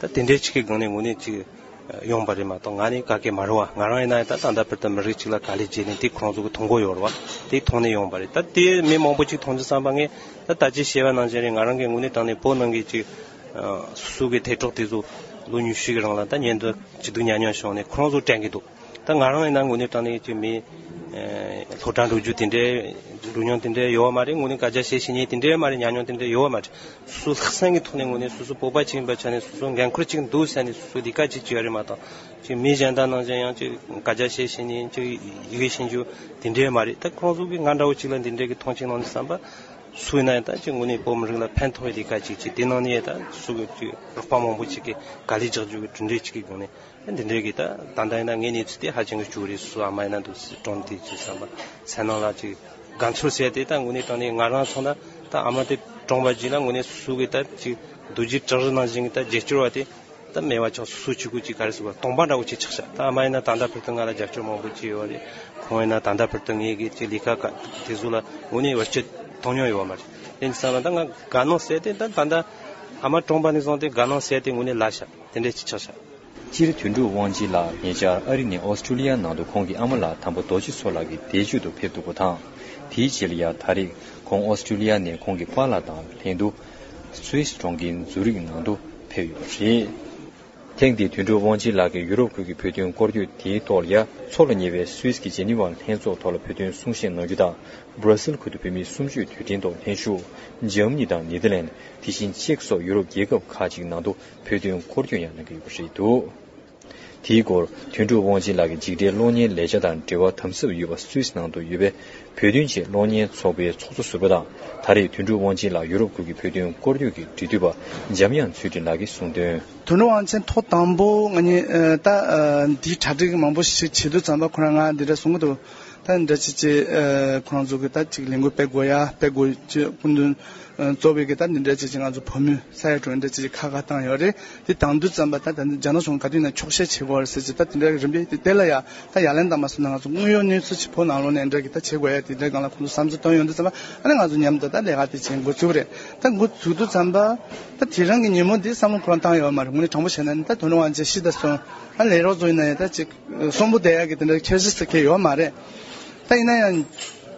ད་དེ་འདྲའི་ཅིག་གི་སྒང་ནས་དངོས་གནས་ཅིག་ ཡོང་བ་རེད་མ་གཏོགས། ང་ནི་ག་གེ་མ་རེད་བ། ང་རང་ཡིན་ན་ད་ད་ལྟ་བར་དུ་མི་རིགས་གཅིག་ལ་དཀའ་ལས་བརྒྱབ་ནས་དེ་ཁོང་ཚོ་གི་མཐོང་གོ་ཡོད་རེད་བ། དེ་མཐོང་ནས་ཡོང་བ་རེད། ད་དེ་མི་མང་པོ་གཅིག་མཐོང་དུས་ཙམ་པ་ངས་ད་ད་ཅི་བཤད་པ་ནང་བཞིན་རེད། ང་རང་གི་ངོས་ནས་དྲང་གནས་བོད་ནང་གི་ཅིག་སོ་སོ་གི་དེ་གྲོགས་དེ་ཚོ་ལོ་ཉི་ཤུ་གི་རིང་ལ་ད་ཉེན་རྟོག་ཇུས་གཏོགས་ཉམས་མྱོང་བྱུང་ནས་ཁོང་ཚོ་དྲན་གི་འདུག་ད་ང་རང་ཡིན་ན་དངོས་གནས་དྲང་གནས་ཀྱི་མི་སློབ་གྲྭ་འགྲོ་རྒྱུ་དེ་འདྲའི་འགྲོ་མྱོང་དེ་འདྲའི་ཡོད་མ་རེད། དངོས་གནས་སྐད་ཆ་བཤད་ཤེས་མཁན་དེ་འདྲའི་མ་རེད། ཉམས་མྱོང་དེ་འདྲའི་ཡོད་མ་རེད། སོ་སོ་ལྷག་བསམ་གྱི་ཐོག་ནས་དངོས་གནས་སོ་སོ་བོད་པ་ཅིག་ཡིན་པའི་ཆ་ནས་སོ་སོ་འགན་ཁུར་ཅིག་འདུག་ཟེར་ནས་སོ་སོ་ལས་ཀ་ཅིག་བྱེད་ཡ་རེད་མ་གཏོགས་ཅིག་མི་གཞན་དག་ནང་བཞིན་ཡང་ཅིག་སྐད་ཆ་བཤད་ཤེས་མཁན་ཅིག་ཡི་གེ་ཤེས་རྒྱུ་དེ་འདྲའི་མ་རེད། ད་ཁོང་ཚོ་གིས་ང་འདྲ་བོ་ཅིག་ལ་འདི་འདྲའི་གི་མཐོང་ཆེན་གནང་དུས་ཙམ་པ་སུ་ཡིན་ན་ཡང་ད་ཅིག་དངོས་གནས་བོད་མི་རིགས་ལ་ཕན་ཐོགས་པའི་ལས་ཀ་ཅིག་བྱེད། དེ་ནང་ནས་ད་སོ་སོ་གི་ཅིག་རོགས་པ་མང་པོ་ཅིག་གིས་དཀའ་ལས་རྒྱག་རྒྱུ་གི་གྲུབ་འབྲས་ཅིག་གི་སྒོ་ནས། འདི་འདྲའི་གི་ད་ད་ལྟ་ཡིན་ན་ངའི་གནས་ཚུལ་དེ་ཧ་ཅང་གི་སྐྱོ་རེད། སོ་སོ་ཨ་མ་ཡིན་ན་འདུག་སེ་གྲོངས་དེ་ཅི་བསམ་པ་མཚན་ནང་ལ་ཅིག་དགའ་ཚོར་ཟེར་དེ་ད་དངོས་གནས་དྲང་གནས་ང་རང་མཚོན་ན་ད་ཨ་མ་དེ་གྲོངས་པ་རྗེས་ལ་དངོས་གནས་སོ་སོ་གི་ད་ཅིག་རྡོ་རྗེ་བྲག་རི་ནང་བཞིན་གི་ད་རྗེས་སྐྱོར་བ་དེ་ད་མེད་པ་ཆགས། སོ་སོ་གཅིག་པུ་ཅིག་ག་རེ་ཟེར་བ་སྟོང་པ་འདྲ་བོ་ཅིག་ཆགས་ཤག་ད་ཨ་མ་ཡིན་ན་ད་ལྟ་བར་དུ་ང་ལ་རྒྱབ་སྐྱོར་མང་པོ་ཅིག་ཡོད་རེད། ཁོང་ཡིན་ན་ད་ལྟ་བར་དུ་ངའི་གི་ཅིག་ལས་ཀ་ག་དེ་ཚོ་ལ་དངོས་གནས་བར་ཆད་མཐོང་མྱོང་ཡོད་མ་རེད། དེ་ཡིན་དུས་ཙམ་པ་ད་ང་དགའ་སྣང་ཟེར་དེ་ད་ད་ལྟ་ཨ་མ་གྲོངས་པ་ནས་བཟུང་སྟེ་དགའ་སྣང་ཟེར་དེ་དངོས་གནས་ལ་ཤག་དེ་འདྲས་ཅིག་ཆགས་ཤག་སྤྱིར་དོན་གྲུབ་དབང་ཆེན་ལགས་ཉེ་ཆར་ཨ་རི་ནས་ཨོ་སི་ཀྲུ་ལི་ཡ་ནང་དུ་ཁོང་གི་ཨ་མ་ལགས་དམ་པ་རྡོ་རྗེ་མཚོ་ལགས་ཀྱི་འདས་མཆོད་དུ་ཕེབས་འདུག་པ་དང་། དེའི་རྗེས་ལ་ཡང་ད་རེས་ཁོང་ཨོ་སི་ཀྲུ་ལི་ཡ་ནས་ཁོང་གི་པཱ་ལགས་དང་ལྷན་དུ་སུད་སི་གྲོང་ཁྱེར་ཛུ་རིག་ནང་དུ་ཕེབས་ཡོད་པ་རེད། ཐེངས་འདིའི་དོན་གྲུབ་དབང་ཆེན་ལགས་ཀྱི་ཡུ་རོབ་ཁུལ་གྱི་བོད་དོན་སྐོར་སྐྱོད་དེའི་ཐོག་ལ་ཡང་མཚོ་ལ་ཉེ་བའི་སུད་སི་གི་ཇེ་ནི་ཝ་ལྷན་ཚོགས་ཐོག་ལ་བོད་དོན་གསུང་བཤད་གནང་རྒྱུ་དང་། སྦྲ་སིལ་ཁུལ་དུ་བོད་མིའི་གསུམ་བཅུའི་དུས་དྲན་ཐོག་ལྷན་ཞུགས། འཇར་མ་ནི་དང་ནེ་དར་ལན། དེ་བཞིན་ཅེཀ་སོགས་ཡུ་རོབ་རྒྱལ་ཁབ་ཁག་ཅིག་ནང་དུ་བོད་དོན་སྐོར་སྐྱོད་ཡང་གནང་གི་ཡོད་པ་རེད་འདུག་དེའི་སྐོར་དོན་གྲུབ་དབང་ཆེན་ལགས་ཀྱི་འཇིགས་བྲལ་གློག་བརྙན་ལས་འཆར་དང་འབྲེལ་བ་དམ་ཟབ་ཡོད་པ་སུད་སི་ནང་དུ་ཡོད་པའི་བོད་དོན་ཆེད་གློག་བརྙན་ཚོགས་པའི་ཚོགས་གཙོ་ཟུར་པ་དང་། ད་རེས་དོན་གྲུབ་དབང་ཆེན་ལགས་ཡུ་རོབ་ཁུལ་གྱི་བོད་དོན་སྐོར་སྐྱོད་ཀྱི་འབྲེལ་མཐུད་པ་འཇམ་དབྱངས་ཚུལ་ཁྲིམས་ལགས་ཀྱིས་གསུངས་དོན། དོན་གྲུབ་དབང་ཆེན་ཐོག་དང་པོ་ང་གཉིས་ཨ་ད་ཨ་འདིའི་གྲ་སྒྲིག་མང་པོ་ཞིག་བྱེད་དུས་ཙམ་པ་ཁོ་རང་ང་འདི་འདྲ་གསུང་གི་འདུག་ད་འདི་འདྲ་ཅིག་ཅིག་ཨ་ཁོ་རང་ཚོ་གི་ད་ཅིག་ལས་འགུལ་སྤེལ་དགོས་ཡ་སྤེལ་དགོས་ཅེས་སྐུ་མདུན་ཨ་གཙོ་བོའི་གི་ད་འདི་འདྲ་ཅིག་ཅིག་ང་ཚོ་བོད་མི་ས་ཡ་དྲུག་འདི་འདྲ་ཅིག་ཅིག་ཁ་ཁ་བཏང་ཡོད་རེད། དེ་དང་དུས་ཙམ་པ་ད་ད་རྒྱ་ནག་གཞུང་ག་དུས་ན་འཁྱོག་བཤད་བྱེད་དགོས་རེད་ཟེར་ཅིག་ད་དེ་འདྲ་གི་རིམ་པས་དེ་དེ་ལ་ཡ་ད་ཡ་ལན་བཏང་མ་སོང་ན་ང་ཚོ་དངོས་ཡོད་གནས་ཚུལ་ཅིག་བོད་ནང་ལོགས་ནས་འདྲ་གི་ད་བྱེད་དགོས་ཡ་དེ་འདྲ་སྒང་ལ་ཁོང་ཚོ་བསམ་ཚུལ་བཏོན་ཡོང་དུས་ཙམ་པ་ཨ་ནི་ང་ཚོ་མཉམ་དུ་ད་ལས་ཀ་དེ་བྱེད་འགོ་ཚུགས་རེད། ད་འགོ་ཚུགས་དུས་ཙམ་པ་ད་དེ་རིང་གི་ཉིན་མོ་འདི་བསམ་བློ་ཁོ་རང་བཏང་ཡོད་མ་རེད། དངོས་གནས་དྲང་པོ་བཤད་ན་ནི་ད་དོན་དངོས་ཅན་ཤི་ད་སོང་ཨ་ལས་རོགས་ཚོ་ཡིན་ན་ཡང་ད་ཅིག་གསོན་པོ་བསྡད་ཡག་གི་དེ་འདྲ་ཁྱད་གཞི་ཟེར་མཁན་ཡོད་མ་རེད། ད་ཡིན་ན་ཡང་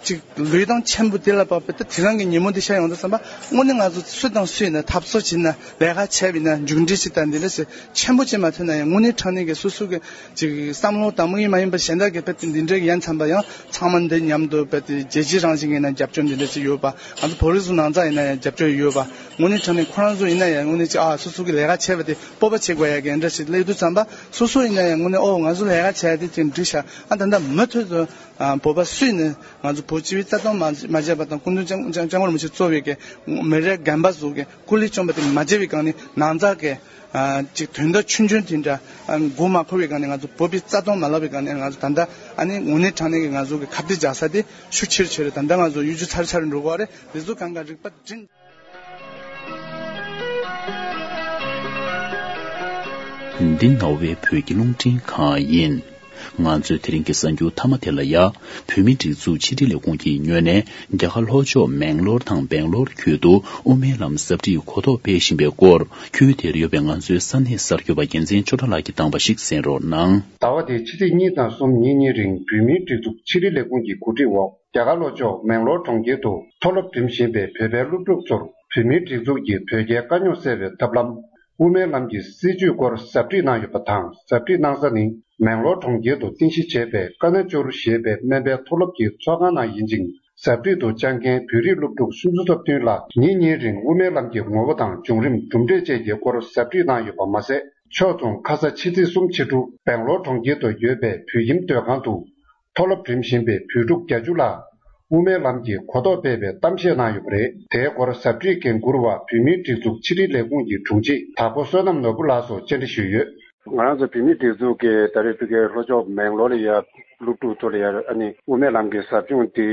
ཅིག་ལུས་དང་མཆན་བུ་དེ་ལ་བབས་པའི་ད་དེ་རིང་གི་ཉིན་མོ་འདི་ཤར་ཡོང་དུས་ཙམ་པ་དངོས་གནས་ང་ཚོ་སུ་དང་སུ་ཡིན་ན་འཐབ་རྩོད་བྱས་ན་ལས་ཀ་བྱས་པ་ཡིན་ན་མཇུག་འབྲས་ཅིག་དང་འདི་འདྲ་ཞིག་ཆེན་པོ་ཅིག་མ་ཐོན་ན་ཡང་དངོས་གནས་དྲང་གནས་ཀྱི་སོ་སོ་གི་ཅིག་བསམ་བློ་དང་དམིགས་ཡུལ་མ་ཡིན་པ་གཞན་དག་གི་དཔེ་དེ་འདི་འདྲའི་ཡན་ཚན་པ་ཡང་ཚང་མ་འདི་མཉམ་དུ་དཔེ་དེ་རྒྱལ་སྤྱིའི་རང་བཞིན་ཡིན་ན་རྒྱབ་སྐྱོར་འདི་འདྲ་ཅིག་ཡོད་པ། ང་ཚོ་བོད་རིགས་ཚོ་ནང་ཚང་ཡིན་ན་ཡང་རྒྱབ་སྐྱོར་ཡོད་པ། དངོས་གནས་དྲང་གནས་ཁོ་རང་ཚོ་ཡིན་ན་ཡང་དངོས་གནས་ཅིག་ཨ་སོ་སོ་གི་ལས་ཀ་བྱས་པ་དེ་སྤོབས་པ་བྱེད་དགོས་ཡ་གི་འདྲ་ཞིག་སླེབས་དུས་ཙམ་པ་སོ་སོ་ཡིན་ན་ཡང་དངོས་གནས་ཨོ་ང་ཚོ་ལས་ཀ་བྱས་ཡ་དེ་ཅིག་འགྲིག་ཤག་ཨ་ད་ལྟ་མུ་མཐུད་དུ་ཨ་བོད་པ་སུ་ཡིན་ན་ང་ཚོ་བོད་སྤྱི་པའི་རྩ་དོན་མ་མ་བྱས་པ་དང་སྐུ་མདུན་ལྕམ་ལྕམ་སྐྱབས་མགོན་རིན་པོ་ཆེ་གཙོས་པའི་གི་མི་རབས་རྒན་པ་ཚོ་གི་སྐུ་ལས་བསྐྱོན་པ་དེ་མ་བརྗེད་པའི་སྒང་ནས་ནང་ཚགས་ཀྱི་ཨ་ཅིག་དོན་དག་ཆུང་ཆུང་དེ་འདྲ་ཨ་མགོ་མ་འཁོར་བའི་སྒང་ནས་ང་ཚོ་བོད་པའི་རྩ་དོན་མ་བརླག་པའི་སྒང་ནས་ང་ཚོ་ད་ལྟ་ཨ་ནི་དངོས་གནས་དྲང་གནས་ཀྱི་ང་ཚོ་གི་ཁ་གཏད་འཇགས་ས་དེ་ཤུགས་ཆེར་ཆེར་ད་ལྟ་ང་ཚོ་གཡོ་སྒྱུ་ཚར་ཚར་འགྲོ་གི་རེད། དེ་ཚོ་གང་ག་རིག་པ་སྒྲིམ། འདི་རྣ་བའི་བོད་ཀྱི་རླུང་འཕྲིན་ཁང་ཡིན། ང་ཚོས་དེ་རིང་གི་གསར་འགྱུར་མཐའ་མ་དེ་ལ་ཡ། བོད་མིའི་སྒྲིག་འཛུགས་ཕྱི་དྲིལ་ལས་ཁུངས་ཀྱི་ངོས་ནས་རྒྱ་གར་ལྷོ་ཕྱོགས་མེང་ལོར་དང་སྦེང་ལོར་ཁུལ་དུ་དབུ་མའི་ལམ་ཟབ་ཁྲིད་གོ་རྟོགས་སྤེལ་བཞིན་པའི་སྐོར། ཁུལ་དེར་ཡོད་པའི་ང་ཚོའི་ས་གནས་གསར་འགོད་པ་རྒྱལ་མཚན་ཆོས་གྲགས་ལགས་ཀྱིས་བཏང་བ་ཞིག་གསན་རོགས་གནང་། ཟླ་བ་འདིའི་ཕྱི་ཚེས་གཉིས་དང་གསུམ་ཉིན་གཉིས་རིང་བོད་མིའི་སྒྲིག་འཛུགས་ཕྱི་དྲིལ་ལས་ཁུངས་ཀྱི་གོ་སྒྲིག་འོག་རྒྱ་གར་ལྷོ་ཕྱོགས་མེང་ལོར་གྲོང་ཁྱེར་དུ་མཐོ་སློབ་འགྲིམ་བཞིན་པའི་བོད་པའི་སློབ་ཕྲུག་ཚོར་བོད་མིའི་སྒྲིག་འཛུགས་ཀྱིས་བོད་རྒྱའི་དཀའ་རྙོག་སེལ་བའི་ཐབས་ལམ། དབུ་མའི་ལམ་གྱི་སྲིད་བྱུས་སྐོར་ཟབ་ཁྲིད་གནང་ཡོད་པ་དང་། ཟབ་ཁྲིད་གནང་ས་ནི་མེང་ལོར་གྲོང་ཁྱེར་དུ་རྟེན་གཞི་བྱས་པའི་ཀ་ན་ཅོར་ཞེས་པའི་སྨན་པའི་མཐོ་སློབ་ཀྱི་ཚོགས་ཁང་ནང་ཡིན་ཅིང་། ཟབ་ཁྲིད་དུ་བཅར་མཁན་བོད་རིགས་སློབ་ཕྲུག་སུམ་ཅུ་སོ་བདུན་ལ་ཉིན་གཉིས་རིང་དབུ་མའི་ལམ་གྱི་ངོ་བོ་དང་བྱུང་རིམ། གྲུབ་འབྲས་བཅས་ཀྱི་སྐོར་ཟབ་ཁྲིད་གནང་ཡོད་པ་མ་ཟད། ཕྱོགས་མཚུངས་ཁ་ས་ཕྱི་ཚེས་གསུམ་ཕྱི་དྲོ་སྦེང་ལོར་གྲོང་ཁྱེར་དུ་ཡོད་པའི་བོད་ཁྱིམ་སྡོད་ཁང་དུ། མཐོ་སློབ་འགྲིམ་བཞིན་པའི་བོད་ཕྲུག་བརྒྱད་ཅུ་ལ་དབུ་མའི་ལམ་གྱི་གོ་རྟོགས་སྤེལ་བའི་གཏམ་བཤད་གནང་ཡོད་པ་རེད། དེའི་སྐོར་ཟབ་ཁྲིད་འགན་འཁུར་བ་བོད་མིའི་སྒྲིག་འཛུགས་ཕྱི་དྲིལ་ལས་ཁུངས་ཀྱི་དྲུང་ཆེ་དྭགས་པོ་བསོད་ནམས་ནོར་བུ་ལགས་སུ་བཅར་འདྲི་ཞུས་ཡོད། ང་རང་ཚོ་བོད་མིའི་སྒྲིག་འཛུགས་ཀྱིས་ད་རེས་ཕ་གིའི་ལྷོ་ཕྱོགས་མེང་ལོར་ལ་ཡ་སློབ་ཕྲུག་ཚོ་ལ་ཡ་ཨ་ནི་དབུ་མའི་ལམ་གྱི་ཟབ་སྦྱོང་འདི་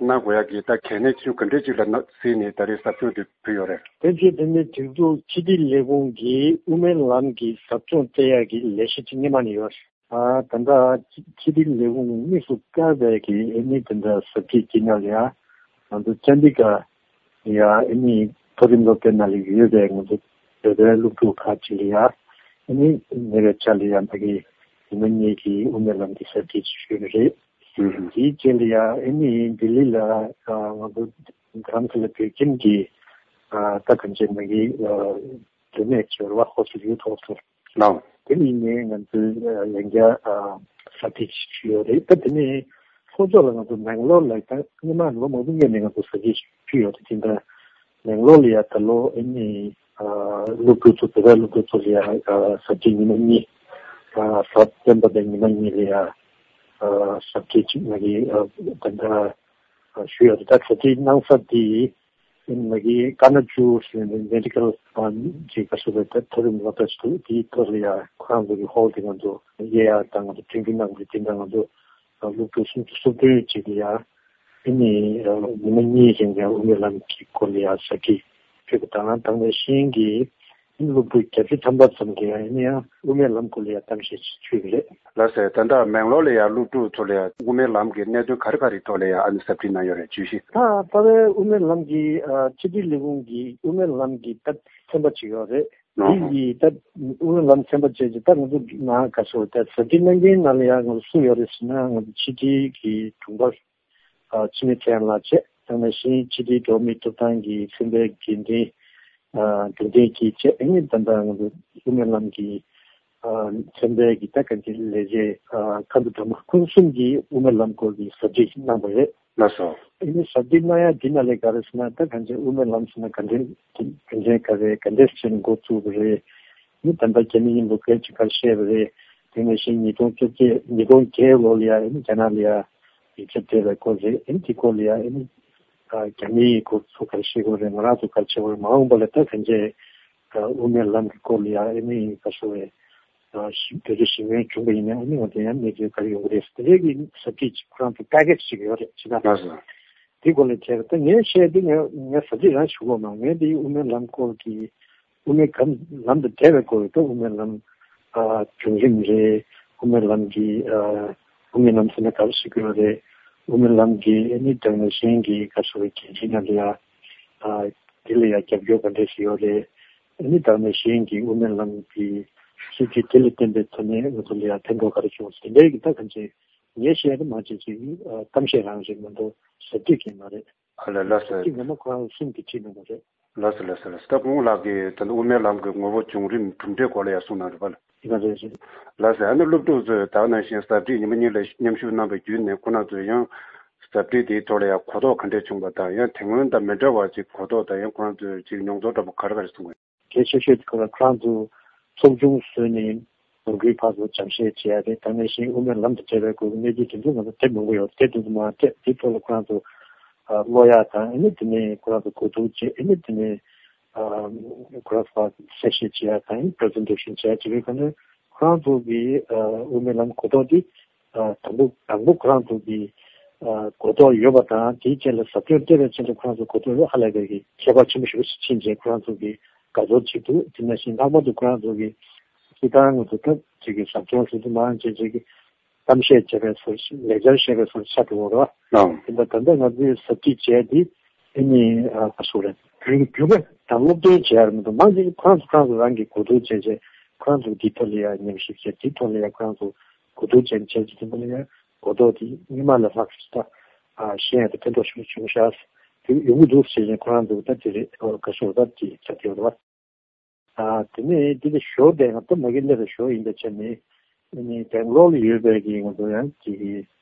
གནང་དགོས་ཡ་གི་ད་གལ་གནད་ཆེ་ཆུང་ག་འདྲས་ཅིག་ལ་གཟིགས་ནས་ད་རེས་ཟབ་སྦྱོང་འདི་ཕུལ་ཡོད་རེད། བཙན་བྱོལ་བོད་མིའི་སྒྲིག་འཛུགས་ཕྱི་དྲིལ་ལས་ཁུངས་ཀྱིས་དབུ་མའི་ལམ་གྱི་ཟབ་སྦྱོང་སྤྲད་ཡ་གི་ལས་གཞི་ཅིག་སྔོན་མ་ནས་ཡོད་རེད། ཨ་ད་ལྟ་ཕྱི་དྲིལ་ལས་ཁུངས་དམིགས་སུ་བཀར་བའི་གི་ཨ་ནི་དེ་འདྲ་ཟབ་ཁྲིད་ཀྱི་ནང་ལ་ཡ་ང་ཚོ་ཅན་ཌི་གྷར་ཡ་ཨ་ནི་མཐོ་རིམ་སློབ་གྲྭའི་ནང་ལ་ཡོད་པའི་ང་ཚོ་བོད་པའི་སློབ་ཕྲུག་ཁག་ཅིག་ལ་ཡ་ ཨ་ནི་ཉེ་བའི་ཆར་ལ་ཡང་ཕ་གི་ཉི་མ་གཉིས་ཀྱི་དབུ་མའི་ལམ་གྱི་གཟབ་རྒྱས་ཅིག་ཞུས་པ་རེད། ཧུམ་ཧུམ། དེའི་རྗེས་ལ་ཡང་ཨ་ནི་ལྡི་ལི་ལ་ང་ཚོ་རྡ་རམ་ས་ལ་བོད་ཁྱིམ་གྱི་ད་གང་ཅི་ཕ་གི་འབྲེལ་མེད་ཅིག་ཡོད་རེད་བ། ཧོ་སི་ཡུ་ཐོག་ཏུ། ལའོ། དེ་ནི་ནས་ང་ཚོས་ཡང་བསྐྱར་གཟབ་རྒྱས་ཞུས་ཡོད་རེད། ད་དེ་ནས་ལྷོ་ཕྱོགས་ལ་ང་ཚོ་མེང་ལོར་ལ་ད་སྔོན་མ་ལོ་མང་པོ་སྔོན་ནས་ང་ཚོ་གཟབ་རྒྱས་ཞུས་ཡོད་རེད། དེ་འདྲ་མེང་ལོར་ལ་ཡང་ད་ལོ་ཨ་ནི་སློབ་ཕྲུག་ཚོ་བོད་པའི་སློབ་ཕྲུག་ཚོ་ལ་ཡང་གཟབ་རྒྱས་ཉི་མ་གཉིས། གཟའ་སྤེན་པ་དང་ཉི་མ་གཉིས་ལ་ཡང་གཟབ་རྒྱས་ཅིག་ང་གིས་ད་ལྟ་ཞུས་ཡོད་རེད། ད་གཟབ་རྒྱས་གནང་ས་དེ། མ་གི་ཀ་ན་ཅུ་ཟེར་ནས་མེ་ཌི་ཀལ་ཅིག་ག་སོ་རེད། ད་མཐོ་རིམ་སློབ་གྲྭ་ཞིག་འདུག་དེའི་ཐོག་ལ་ཡང་ཁོ་རང་ཚོ་གི་ཧོལ་དེ་ང་ཚོ་དབྱེ་ཡག་དང་ང་ཚོ་ཐོན་རྒྱུ་གནང་དགོས་དེ་འདྲ་ང་ཚོ་སློབ་ཕྲུག་སུམ་ཅུ་སོ་བདུན་ཅིག་ལ་ཡང་ཨ་ནི་ཉི་མ་གཉིས་རིང་ཡང་དབུ་མའི་ལམ་གྱི་སྐོར་ལ་ཡང་ཟབ་ཁྲིད་ཕུལ་བ་དང་། དེ་ནང་བཞིན་གྱི་སློབ་ཕྲུག་བརྒྱད་ཅུ་ཐམ་པ་ཙམ་གྱིས་ཨ་ནི་ཡང་དབུ་མའི་ལམ་སྐོར་ལ་ཡང་གཏམ་བཤད་ཅིག་ཞུས་པ་རེད། ལགས་སོ། ད་ལྟ་མེང་ལོར་ལ་ཡང་སློབ་ཕྲུག་ཚོ་ལ་ཡང་དབུ་མའི་ལམ་གྱི་གནད་དོན་ག་རེ་ག་རེའི་ཐོག་ལ་ཡང་ཨ་ནི་ཟབ་ཁྲིད་གནང་ཡོད་རེད། བརྗོད་གཞི། ད་ད་ལྟའི་དབུ་མའི་ལམ་གྱི་ཨ་ཕྱི་དྲིལ་ལས་ཁུངས་ཀྱི་དབུ་མའི་ལམ་གྱི་ད་ཚན་པ་ཅིག་ཡོད་རེད། ཨོ་དེ་ཧོ། ཡི་ད་དབུ་མའི་ལམ་ཚན་པ་བཅས་ཀྱི་ད་ང་ཚོ་ནང་ག་སོ་ད་ཟབ་ཁྲིད་གནང་མཁན་ནང་ལ་ཡང་ང་ཚོ་སུ་ཡོད་རེད་ཟེར་ན། ང་ཚོ་ཕྱི་དྲིལ་གྱི་དྲུང་འཕར་ཨ་འཆི་མེད་ཚེ་དབང་ལགས་བཅས། དེ་ནང་བཞིན་ཕྱི་དྲིལ་འགྲོ་བ་མིའི་ཐོབ་ཐང་གི་ཚན་པའི་འགན་འཛིན་ཨ་འབྱུང་ལྡན་སྐྱིད་བཅས། ཨ་ནི་ད་ལྟ་ང་ཚོ་དབུ་མའི་ལམ་གྱི་ཨ་ཚན་པའི་གི་ད་གང་ཅི་ལས་བྱེད་ཨ་ཁ་འདུ་དྲ་མ་ཁོང་གསུམ་གྱིས་དབུ་མའི་ལམ་སྐོར་གྱི་ཟབ་ཁྲིད་གནང་བ་རེད། ལགས་སོ། ཨ་ནི་ཟབ་ཁྲིད་གནང་ཡ་འདི་ནང་ལས་ག་རེ་ཟེར་ན། ད་གང་ཅི་དབུ་མའི་ལམ་ཟེར་ན་ག་འདྲའི་རྒྱུ་མཚན་ག་རེ་ག་འདྲས་བྱས་ནས་འགོ་བཙུགས་པ་རེད། ཨ་ནི་ད་ལྟ་རྒྱ་མི་མཉམ་དུ་ག་ཅི་ག་བཤད་པ་རེད། དེ་ནང་བཞིན་ཉིས་སྟོང་བཅོ་བརྒྱད་ཉིས་སྟོང་བརྒྱད་ལོ་ལ་ཡ་ཨ་ནི་རྒྱ་ནག་ལ་ཡ་ཡིག་ཆ་སྤྲད་པའི་སྐོར་རེད། ཨ་ནི་དེ་སྐོར་ལ་ཡ་ཨ་ནི་ཨ་རྒྱ་མིའི་སྐོར་ཚོ་ག་རེ་བཤད་དགོས་རེད། ང་རང་ཚོ་ག་རེ་བྱེད་དགོས་རེད། མ་འོངས་པ་ལ་ད་གང་ཅི་ཨ་དབུ་མའི་ལམ་གྱི་སྐོར་ལ་ཡ་ཨ་ནི་ག་སོ་རེད། ཨ་ཞིབ་བེད་སྤྱོད་ཞིབ་མོ་བྱུང་བ་ཡིན་ན་ཨ་ནི་ང་ཚོ་ཡང་གནས་ཚུལ་ག་རེ་ཡོང་གི་རེད་ཟེར་དེ་འདྲའི་གི་ཟབ་ཁྲིད་ཅིག་ཁོ་རང་ཚོ་པེ་ཀེ་ཇི་ཅིག་ཡོད་རེད། ཅི་ད་ལགས་སོ། དེ་སྐོར་ལ་བྱས་པ་ད་ངས་བཤད་དེ་ངས་ངས་ཟབ་ཁྲིད་རང་ཞུ་གོ་མ། ངས་དེ་དབུ་མའི་ལམ་སྐོར་གྱི་དབུ་མའི་གམ་ལམ་དང་འབྲེལ་བའི་སྐོར་ད་དབུ་མའི་ལམ་ཨ་བྱུང་རིམ་རེད། དབུ་མའི་ལམ་གྱི་ཨ་དབུ་མའི་ལམ་ཟེར་ན་ག་རེ་ཟེར་དགོས་རེད། དབུ་མའི་ལམ་གྱི་ཨ་ནི་དེ་ནང་བཞིན་གྱི་ག་སོ་རེད་གལ་ཆེན་ཡང་ལ་ཡ་ཨ་དེ་ལ་ཡ་རྒྱབ་སྐྱོར་ག་འདྲས་ཞིག་ཡོད་རེད། ཨ་ནི་དེ་ནང་བཞིན་གྱི་དབུ་མའི་ལམ་གྱི་སྲིད་བྱུས་དེ་ལ་བརྟེན་པའི་ཐོག་ནས་ང་ཚོ་ལ་ཡ་ཕན་ཐོགས་ག་རེ་བྱུང་ཟེར་དེ་འདྲའི་གི་ད་གང་ཅི་ངས་བཤད་ན་མ་བྱེད་ཅིག་གཏམ་བཤད་རང་རེད་མ་གཏོགས་ཟབ་ཁྲིད་ཀྱི་མ་རེད། ཨ་ལ་ལ་ཟེར། ཟབ་ཁྲིད་ངོ་མ་ཁོ་རང་གསུམ་གྱིས་ཁྲིད་གནང་བ་རེད། ལགས་སོ་ལགས་སོ་ལགས་སོ། ད་སྐུ་ངོ་ལགས་ཀྱིས་ད་ལྟ་དབུ་མའི་ལམ་གྱི་ངོ་བོ་བྱུང་རིམ་གྲུབ་འབྲས་སྐོར་ལ་ཡང་གསུངས་གནང་རེད་པ་ལགས། ཡིན་པ་རེད་རེད། ལགས་སོ། ཨ་ནི་སློབ་ཕྲུག་ཚོས་ད་ག་ནང་བཞིན་ཟབ་ཁྲིད་ཉི་མ་གཉིས་ལ་མཉམ་ཞུགས་གནང་བའི་བརྒྱུད་ནས་ཁོ་རང་ཚོས་ཡང་ཟབ་ཁྲིད་དེའི་ཐོག་ལ་ཡང་གོ་རྟོགས་ག་འདྲས་བྱུང་བ་དང་ཡང་དེ་སྔོན་དང་མི་འདྲ་བ་ཅིག་གོ་རྟོགས་དང་ཡང་ཁོ་རང་ཚོས་ཅིག་མྱོང་ཚོར་འདྲ་པོ་ག་རེ་ག་རེ་གསུངས་པ། གལ་ཆེ་ཤོས་དེ་ཁོ་རང་ཁོ་རང་ཚོ་ཚོགས་ཆུང་བཟོས་ནས་ལོ་རྒྱུས་ཕར་ཚུར་སྦྱང་བཤད་བྱེད་ཡ་རེད། དེ་ནང་བཞིན་དབུ་མའི་ལམ་དང་འབྲེལ་བའི་སྐོར་གྱི་གནས་ཚུལ་དེ་ཚོ་ང་ཚོ་དེབ་མང་པོ་ཡོད་རེད། དེ་ཚོ་མར་སྤྲད་དེའི་ཐོག་ལ་ཁོ་རང་ཚོ་ཀློག་ཡ་དང་ཨ་ནི་དེ་ནས་ཁོ་རང་ཚོ་གོ་བསྡུར་བྱེད། ཨ་ནི་དེ་ནས་ཁོ་རང་ཚོ་གསལ་བཤད་བྱེད་ཡ་དང་པི་རི་སེན་ཊེ་ཤན་བྱེད་ཡ་བྱེད་པའི་སྒང་ནས་ཁོ་རང་ཚོ་གི་དབུ་མའི་ལམ་གོ་རྟོགས་དེ་དང་པོ་དང་པོ་ཁོ་རང་ཚོ་གི་གོ་རྟོགས་ཡོད་པ་དང་དེའི་རྗེས་ལ་ཟབ་སྦྱོང་སྤྲད་པའི་རྗེས་ལ་ཁོ་རང་ཚོ་གོ་རྟོགས་ཡོད་ཧ་ལས་པའི་གི་ཁྱད་པར་ཆེན་པོ་ཞེ་པོ་ཞིག་ཕྱིན་རྗེས་ཁོ་རང་ཚོ་གི་དགའ་ཚོར་བྱེད་འདུག་དེ་ནང་བཞིན་ལྷག་པར་དུ་ཁོ་རང་ཚོ་གི་སྤྱིར་བཏང་ང་ཚོ་སྐབས་གཅིག་གི་ཟབ་སྦྱོང་ཞུ་དུ་མང་ཆེ་ཆེ་གི་གཏམ་བཤད་བྱས་པའི་བཟོ་ཞིག་ལེགས་སྦྱར་བཤད་པའི་བཟོ་ཆགས་འགྲོ་བ་རེད། ཨང་། དེ་འདྲ་ད་ལྟ་ང་ཚོས་ཟབ་ཁྲིད་བྱས་དེ་ཨ་ནི་ག་སོ་རེད་བརྒྱུད་བརྒྱུད་པ་དང་སློབ་སྟོན་བྱས་རེད་མི་འདུག་མང་ཆེ་ཁོ་རང་ཚོ་ཁོ་རང་ཚོ་རང་གི་གོ་བསྡུར་བྱས་རྗེས་ཁོ་རང་ཚོ་འདི་ཐོག་ལ་ཡང་ཉམས་ཞིབ་བྱས་འདི་ཐོག་ལ་ཡང་ཁོ་རང་ཚོ་གོ་བསྡུར་བྱས་བྱས་ཀྱི་དེ་འདྲ་ལ་ཡང་གོ་རྟོགས་དེ་སྔོན་མ་ལས་ལྷག་ཤོས་ད་ཤེས་ཡ་དེ་ཕན་ཐོགས་ཤུགས་ཆེན་པོ་ཤར་དེ་ཡོང་གི་འདུག་ཟེར་ནས་ཁོ་རང་ཚོ་ད་དེ་རེད་ག་སོ་ད་དེ་ཆགས་ཀྱི་ཡོད་རེད་བ། ཨ་དེ་ནས་འདི་ལ་ཞོར་དེ་ང་ད་མ་གི་སླེབས་པའི་ཞོར་ཡིན་པའི་ཆ་ནས་ཨ་ནི་སྦེང་ལོར་ལ་ཡོད་པའི་གི་ང་ཚོ་ཡང་ཅིག་གི་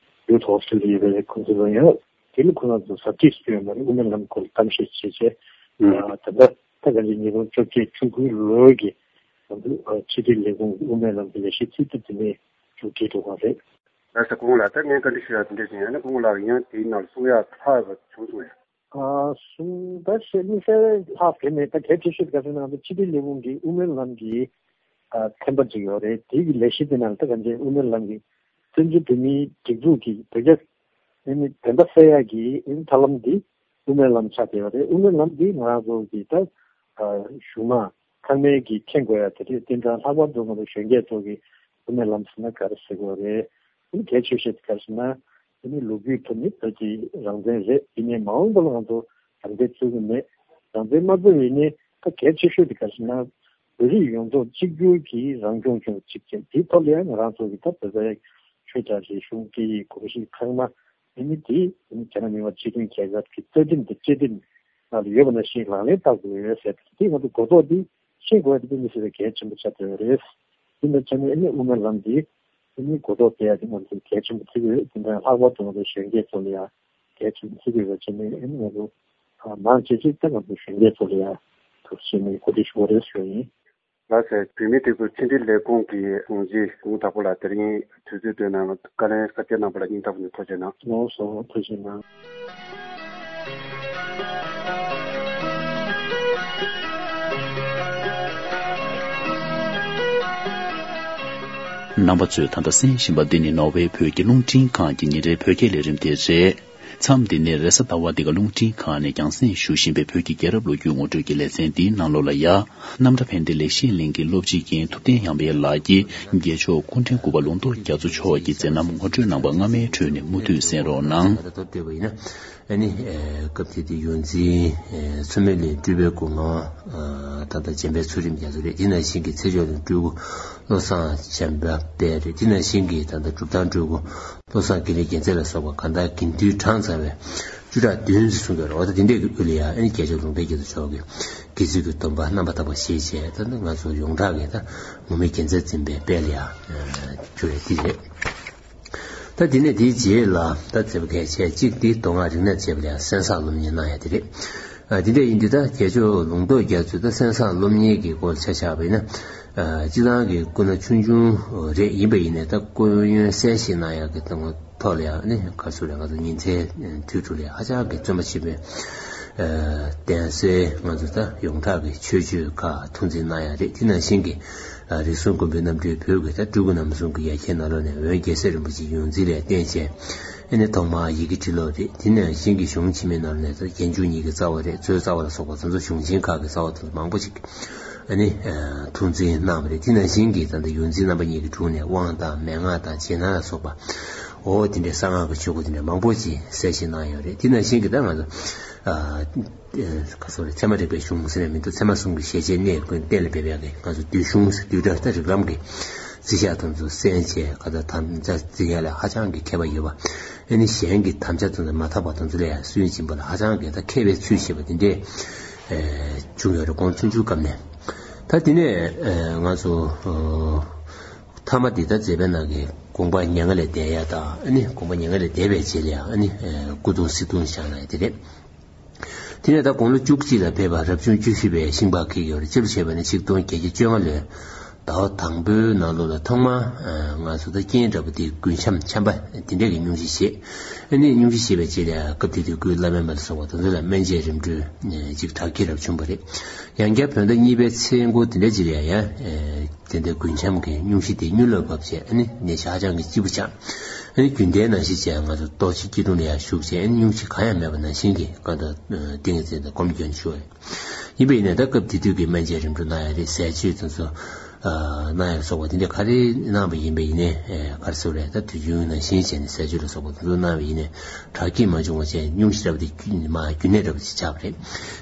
ཡུ་ཐི་ཧོ་སི་ཊེལ་ལ་ཡོད་པའི་ཁོང་ཚོ་ལ་ཡང་དེ་ལ་ཁོ་རང་ཚོ་ཟབ་ཁྲིད་སུ་ཡོད་མ་རེད། དབུ་མའི་ལམ་སྐོར་གཏམ་བཤད་བྱས་བྱས་ཨ་ད་ལྟ་ད་ག་ནི་ཉིས་སྟོང་བཅོ་བརྒྱད་བཅུ་དགུའི་ལོའི་གི་ང་ཚོ་ཕྱི་དྲིལ་ལས་ཁུངས་དབུ་མའི་ལམ་གྱི་ལས་གཞི་ཚིག་ཐོ་དེ་ནས་མཇུག་སྒྲིལ་འགྲོ་གི་རེད། ལགས་སོ། སྐུ་ངོ་ལགས་ད་ངས་བཀའ་འདྲི་ཞུ་ཡག་དེ་འདྲས་ཅིག་ཡང་ན་སྐུ་ངོ་ལགས་ཡང་དེའི་ནང་ལ་གསུང་ཡག་ལྷག་ཡོད་པ་བྱུང་སོང་ཡ། ཨ་གསུང་ད་བཤད་མི་གསལ་ལྷག་གི་མེད། ད་གལ་ཆེ་ཤོས་དེ་ག་ཟེར་ན་ང་ཚོ་ཕྱི་དྲིལ་ལས་ཁུངས་ཀྱི་དབུ་མའི་ལམ་གྱི་ཨ་ཚན་པ་ཅིག་ཡོད་རེད། དེ་གི་ལས་གཞི་དེ་ནང་ད་ག་འདྲའི་དབུ་མའི་ལམ་གྱི་བཙན་བྱོལ་བོད་མིའི་སྒྲིག་འཛུགས་ཀྱི་བོད་རྒྱ་ཨ་ནི་བདེན་པ་གསལ་ཡག་གི་ཨ་ནི་ཐབས་ལམ་འདི་དབུ་མའི་ལམ་ཆགས་བསྡད་ཡོད་རེད། དབུ་མའི་ལམ་འདི་ང་རང་ཚོ་གི་ད་ཨ་གཞུང་མང་ཚང་མས་ཀྱིས་མཁྱེན་དགོས་ཡ་དེ་རེད། དེ་འདྲ་ལྷག་པར་དུ་ང་ཚོ་གཞོན་སྐྱེས་ཚོ་གིས་དབུ་མའི་ལམ་ཟེར་ན་ག་རེ་ཟེར་དགོས་རེད། ཨ་ནི་གལ་ཆེ་ཤོས་དེ་ག་རེ་ཟེར་ན་ཨ་ནི་ལོ་རྒྱུས་ཐོག་ནས་བོད་ཀྱི་རང་བཙན་རེད། ཡིན་ནའི་མ་འོངས་པ་ལ་ང་ཚོ་རང་བཙན་རྩོད་ཀྱི་མེད། རང་བཙན་མ་རྩོད་ཡིན་ནའི་ད་གལ་ཆེ་ཤོས་དེ་ག་རེ་ཟེར་ན། བོད་རིགས་ཡོངས་རྫོགས་གཅིག་གྱུར་གྱི་རང་སྐྱོང་ལྗོངས་གཅིག་བྱས། དེའི་ཐོག་ལ་ཡང་ང་རང་ཚོ་གི་ད་བོད་པའི་ཆོས་དང་རིག་གཞུང་སྐད་ཡིག་གོམས་གཤིས་ཚང་མ་ཨ་ནི་དེ་ཨ་ནི་རྒྱ་ནག་མི་དམངས་སྤྱི་མཐུན་རྒྱལ་ཁབ་ཀྱི་རྩ་ཁྲིམས་དང་བཅའ་ཁྲིམས་ནང་ལ་ཡོད་པ་ནང་བཞིན་ལག་ལེན་བསྟར་དགོས་ཡོད་ཟེར་ཏེ། དེ་ང་ཚོ་གོ་རྟོགས་འདི་ཤེས་དགོས་ཡ་དེ་དཔེ་མི་སྲིད་པའི་གལ་ཆེན་པོ་ཆགས་བསྡད་ཡོད་རེད། དེ་འདྲ་བྱས་ནས་ཨ་ནི་དབུ་མའི་ལམ་འདི་ཨ་ནི་གོ་རྟོགས་སྤེལ་ཡ་དེ་ང་ཚོ་གལ་ཆེན་པོ་ཆགས་ཀྱི་ཡོད། དེ་འདྲ་ལྷག་པར་དུ་ང་ཚོ་གཞོན་སྐྱེས་ཚོ་ལ་ཡང་གལ་ཆེན་པོ་ཆགས་ཀྱི་ཡོད་པ་བྱས་ནས་ཨ་ནི་ང་ཚོ་མང་ཆེ་ཆེ་ད་ང་ཚོ་གཞོན་སྐྱེས་ཚོ་ལ་ཡང་ཐུགས་རྗེ་ཆེ་ནས་གོ་སྒྲིག་ཞུ་བ་རེད་ཞུ་ཡིན། ལགས་སོ། བོད་མིའི་སྒྲིག་འཛུགས་ཕྱི་དྲིལ་ལས་ཁུངས་ཀྱི་དྲུང་ཆེ་གུང་དྭགས་པོ་ལགས། དེ་རིང་དུས་ཚོད་བཏོན་གནང་བཀའ་ལན་གསལ་བཤད་གནང་བ་ལ་སྙིང་ཐག་པ་ནས་ཐུགས་རྗེ་གནང་། ལགས་སོ། ཐུགས་རྗེ་གནང་། རྣམ་པ་ཚོས་ད་ལྟ་གསན་བཞིན་པ་འདི་ནི་ནོར་ཝེ་བོད་ཀྱི་རླུང་འཕྲིན་ཁང་གི་ཉིན་རེའི་བོད་སྐད་ལས་རིམ་དེ་རེད། མཚམས་འདི་ནས་རེས་གཟའ་ཟླ་བ་འདི་ག་རླུང་འཕྲིན་ཁང་ནས་རྒྱང་སྲིང་ཞུ་བཞིན་པའི་བོད་ཀྱི་རྒྱལ་རབས་ལོ་རྒྱུས་ངོ་སྤྲོད་ཀྱི་ལེ་ཚན་འདིའི་ནང་ལོགས་ལ་ཡ། རྣམ་གྲྭ་ཕན་བདེ་ལེགས་བཤད་གླིང་གི་སློབ་སྤྱི་རྒན་ཐུབ་བསྟན་དབྱངས་དཔལ་ལགས་ཀྱིས་རྒྱལ་མཆོག་སྐུ་ཕྲེང་དགུ་པ་ལུང་རྟོགས་རྒྱ་མཚོ་མཆོག་གི་མཛད་རྣམ་ངོ་སྤྲོད་གནང་བ་སྔ་མའི་ཁྲོད་ནས་མུ་མཐུད་གསན་རོགས་གནང་། ད་ལྟ་བསྟོད་པ་ཡིན་ན། ཨ་ནི་ཨེ་སྐབས་དེ་དུས་ཡོངས་འཛིན་ཨེ་མཚོ་མོ་གླིང་སྤྲུལ་པའི་སྐུ་ངོ་ཨ་ད་ལྟ་འཇམ་དཔལ་ཚུལ་ཁྲིམས་རྒྱ་མཚོ་རེད། དེ་ནང་བཞིན་གྱི་ཚེ་མཆོག་གླིང་སྤྲུལ་སྐུ་བློ་བཟང་འཇམ་དཔལ་རེད། དེ་ནང་བཞིན་གྱི་ད་ལྟ་གྲུབ་ཐང་སྤྲུལ་སྐུ་བློ་བཟང་ཀུན་ལེགས་རྒྱལ་མཚན་ལ་སོགས་པ་གང་ལྟར་དགེ་འདུན་གྲངས་ཚང་བའི་བཅུ་ཕྲག་བདུན་ཙམ་གསུངས་ཡོད་རེད། འོ་ད་དེ་འདྲས་ཀྱི་དབུ་ལ་ཡ་ཨ་ནི་རྒྱལ་མཆོག་ལུང་པའི་རྒྱ་མཚོ་མཆོག་གི་དགེ་ཚུལ་གྱི་སྡོམ་པ་རྣམ་པར་དག་པ་བཞེས་བྱས། ད་ང་ཚོ་ཡོངས་གྲགས་ཀྱི་ད་ངོ་མའི་རྒྱལ་མཚན་འཛིན་པའི་དཔལ་ལ་ཡ་གྱུར་བའི་དེ་རེད། ད་དེ་ནས་དེའི་རྗེས་ལ་ད་མཛད་པ་གལ་ཆེ་གཅིག་དེ་མདོ་སྔགས་རིག་གནས་བྱས་པ་ལ་ཡང་གསན་བསམ་སློབ་གཉེར་གནང་ཡ་དེ་རེད། ཨ་དེ་འདྲ་ཡིན་དུས་ད་རྒྱལ་མཆོག་ལུང་རྟོགས་རྒྱ་མཚོས་ད་གསན་བསམ་སློབ་གཉེར་གྱི་སྐོར་ཆ་བཞག་པ་ཡིན་ན། ཨ་སྤྱི་བཏང་གི་སྐུ་ན་ཆུང་ཆུང་རེད། ཡིན་པ་ཡིན་ནའི་ད་སྐུ་ཡོན་གསལ་བཤད་གནང་ཡ་གི་ཐོག་ལ་ཡང་ནི་ག་ཚོད་རེད། ང་ཚོ་ཉིན་མཚན་དུས་དྲུག་ལ་ཧ་ཅང་གི་བརྩོན་པ་ཆེན་པོས་ཨ་གདན་སའི་ང་ཚོ་ད་ཡོངས་གྲགས་ཀྱི་ཆོས་སྤྱོད་ཁག་ཐུགས་འཛིན་གནང་ཡ་རེད། དེ་ནང་བཞིན་གྱི། རིགས་གསུམ་མགོན་པོའི་རྣམ་འཕྲུལ་བོད་ཀྱི་ད་སྤྲུལ་སྐུ་རྣམ་གསུམ་གྱི་ཡ་གྱལ་ནང་ལོགས་ནས་འོན་རྒྱལ་སྲས་རིན་པོ་ཆེ་ཡོངས་འཛིན་ལས་བརྟེན་བྱས། ཨ་ནི་ཐོག་མར་ཡི་གེ་འབྲི་ཀློག་རེད། དེ་ནས་གཞན་གྱི་གཞུང་ཕྱི་མའི་ནང་ལོགས་ནས་ད་རྒྱན་འཇུག་གཉིས་ཀྱི་རྩ་བ་རེད། མཛོད་རྩ་བ་ལ་སོགས་པ་དེ་ཚོ་གཞུང་ཆེན་ཁག་གི་རྩ་བ་དེ་ཚོ་མང་པོ་ཞིག་ཨ་ནི་ཐུགས་འཛིན་གནང་བ་རེད། དེ་ནང་བཞིན་གྱི་ད་ལྟ་ཡོངས་འཛིན་རྣམ་པ་གཉིས་ཀྱི་དྲུང་ནས་དབང་དང་མན་ངག་དང་རྗེས་གནང་ལ་སོགས་པ། འོ་དེ་འདྲའི་གསང་སྔགས་ཀྱི་ཆོས་སྐོར་དེ་འདྲ་མང་པོ་ཞིག་གསལ་བཤད་གནང་ཡོད་རེད། དེ་ནང་བཞིན་གྱི་ད་ང་ཚོ། ཨ། ཨེ་ག་ཚོད་རེད། ཚད་མ་རིག་པའི་གཞུང་ཟེར་ནས་མི་འདུག་ཚད་མ་གསུམ་གྱི་ཞལ་ཆད་གནས་ཀུན་གཏན་ལ་འབེབས་ཡག་གི་ང་ཚོ་བསྡུས་གཞུང་ཟེར་བསྡུས་གྲྭ་ད་རིགས་ལམ་གྱི་རྩིས་ཞག་དེ་ཚོ་གསན་བྱས། ག་ད་དམ་བཅའ་རྩིས་ཡག་ལ་ཧ་ཅང་གི་མཁས་པ་ཡོད་པ། ཨ་ནི་གཞན་གྱི་དམ་བཅའ་དེ་ཚོ་མ་དག་པ་དེ་ཚོ་ལ་ཡང་སུན་འབྱིན་པ་ལ་ཧ་ཅང་གི་ད་མཁས་པའི་ཚུལ་བཞེས་པ་དེ་འདྲས་ཨེ་བྱུང་ཡོད་རེད། དགུང་ཆུང་ཆུང་སྐབས་ནས། ད་དེ་ནས་ཨེ་ང་ཚོ་ཨོ་མཐའ་མ་འདི་ད་མཛད་པའི་ནང་གི་དགོངས་པ་མྱ་ངན་ལས་འདས་ཡ་དང་། ཨ་ནི་དགོངས་པ་མྱ་ངན་ལས་འདས་པའི་རྗེས་ལ་ཡང་ཨ་ནི་ཨེ་སྐུ་གདུང་གསེར་གདུང་བཞེངས་གནང་ཡ་དེ་རེད། དེ་ནས་ད་དགུང་ལོ་བཅུ་གཅིག་ལ་ཕེབས་པ་རབ་བྱུང་བཅུ་བཞི་པའི་ཤིང་ལྤགས་འཁེལ་གྱི་ཡོད་རེད། སྤྱི་ལོ་བྱས་པ་ན་ཆིག་སྟོང་བརྒྱད་བརྒྱ་བཅོ་ལྔ་ལོའི་ཟླ་བ་དང་པོའི་ནང་ལོགས་ལ་ཐོག་མར་ཨ་ང་ཚོ་ད་རྐྱེན་འདྲ་པོ་དེ་རྒུན་འབྲུམ་ཆམ་པ་དེ་འདྲས་ཀྱི་སྙུང་གཞི་བཞེས། ཨ་ནི་སྙུང་གཞི་བཞེས་པའི་རྗེས་ལ་སྐབས་དེ་དུས་སྐུའི་བླ་སྨན་པ་ལ་སོགས་པ་དེ་ཚོ་ལ་སྨན་དཔྱད་རིམ་གྲོ་ཅིག་དྲག་སྐྱེད་རབ་བྱུང་བ་རེད། ཡང་བསྐྱར་བོད་ཟླ་གཉིས་པའི་ཚེས་འགོ་དེ་འདྲ་ཅིག་ལ་ཡང་ཨེ་དེ་འདྲའི་རྒུན་འབྲུམ་གྱི་སྙུང་གཞི་དེ་མྱུར་ལ་བབས་བྱས། ཨ་ནི་ནད་གཞི་ཧ་ཅང་གི་ལྕི་པོ་ཆགས། ཨ་ནི་རྒྱུན་ལྡན་ནང་བཞིན་བྱས་ང་ཚོ་ལྟོ་ཆས་སྐྱིལ་ཀྲུང་ལ་ཡང་ཞུགས་བྱས། ཨ་ནི་སྙུང་གཞི་གང་ཡང་མེད་པ་ནང་བཞིན་གྱི་གང་ལྟར་ཏིང་ངེ་འཛིན་དང་སྒོམ་སྐྱོན་ཞུ་བ་རེད། ཡིན་པ་ཡིན་ནའི་ད་སྐབས་དེ་དུས་ཀྱི་སྨན་དཔྱད་རིམ་གྲོ་གནང་ཡ་རེད། ཟས་སྤྱོད་དེ་ཚོ་ཨ་གནང་ཡ་སོགས་པ་དེ་འདྲ་ག་རེ་གནང་བ་ཡིན་པ་ཡིན་ནའི་ཨེ་ག་རེ་ཟེར་དགོས་རེད། ད་དུས་རྒྱུན་ནང་བཞིན་བྱས་ནས་ཟས་སྤྱོད་ལ་སོགས་པ་དེ་ཚོ་གནང་བ་ཡིན་ནའི་དྲག་སྐྱེད་མ་བྱུང་བ་བྱས། སྙུང་གཞི་འདྲ་པོ་དེ་མ་རྒྱུན་གནས་འདྲ་པོ་ཞིག་ཆགས་པ་རེད།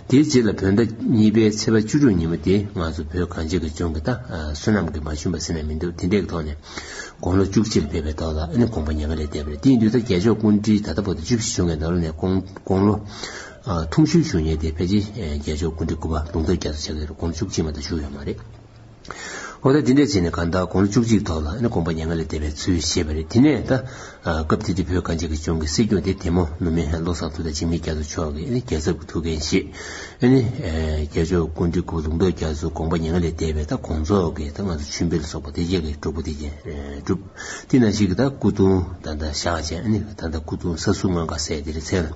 དེའི་རྗེས་ལ་བོད་ཟླ་གཉིས་པའི་ཚེས་པ་བཅུ་དྲུག་ཉིན་མོ་དེ་ང་ཚོ་བོད་གངས་ཅན་གྱི་ལྗོངས་ཀྱི་ད་ཨ་བསོད་ནམས་ཀྱིས་མ་ཞུམ་པ་ཟེར་ན་མི་འདུག་དེ་འདྲའི་ཐོག་ནས་དགུང་ལོ་བཅུ་གཅིག་ལ་ཕེབས་པའི་ཐོག་ལ་ཨ་ནི་དགོངས་པ་མྱ་ངན་ལས་འདས་པ་རེད། དེ་ཡིན་དུས་ད་རྒྱལ་མཆོག་སྐུ་ཕྲེང་ད་ལྟ་བར་དུ་བཅུ་བཞི་བྱུང་བའི་ནང་ལོགས་ནས་དགུང་དགུང་ལོ་ཨ་ཐུང་ཤོས་བཞུགས་མཁན་དེ་ཕལ་ཆེར་ཨ་རྒྱལ་མཆོག་སྐུ་ཕྲེང་དགུ་པ་ལུང་རྟོགས་རྒྱ་མཚོ་ཆགས་ཀྱི་རེད། དགུང་ལོ་བཅུ་གཅིག་མ་གཏོགས་བཞུགས་ཡོད་མ་རེད། འོ་ད་དེ་འདྲས་བྱས་ནས་གང་ལྟར་དགུང་ལོ་བཅུ་གཅིག་ཐོག་ལ་ཨ་ནི་དགོངས་པ་མྱ་ངན་ལས་འདས་པའི་ཚུལ་བཞེས་པ་རེད། དེ་ནས་ད་ཨ་སྐབས་དེ་དུས་བོད་གངས་ཅན་གྱི་ལྗོངས་ཀྱི་སྲིད་སྐྱོང་དེ་དེ་མོ་ནུབ་མི་བློ་བཟང་ཐུབ་བསྟན་འཇིགས་མེད་རྒྱ་མཚོ་མཆོག་གིས་ཨ་ནི་རྒྱལ་ཚབ་ཀྱི་ཐུགས་འགན་བཞེས། ཨ་ནི་ཨ་རྒྱལ་མཆོག་སྐུ་ཕྲེང་དགུ་པ་ལུང་རྟོགས་རྒྱ་མཚོ་དགོངས་པ་མྱ་ངན་ལས་འདས་པའི་ད་དགོངས་རྫོགས་ཀྱི་ད་ང་ཚོ་མཆོད་འབུལ་སོགས་པ་དེ་རྗེས་ཀྱི་སྒྲུབ་པ་དེ་རྗེས་ཨ་སྒྲུབ། དེ་ནང་བཞིན་གྱི་ད་སྐུ་གདུང་ད་ལྟ་བཞག་བྱས། ཨ་ནི་ད་ལྟ་སྐུ་གདུང་ས་ཟུར་ལྔ་ཀ་ཟེར་དེ་རེད། མཚན་ལ་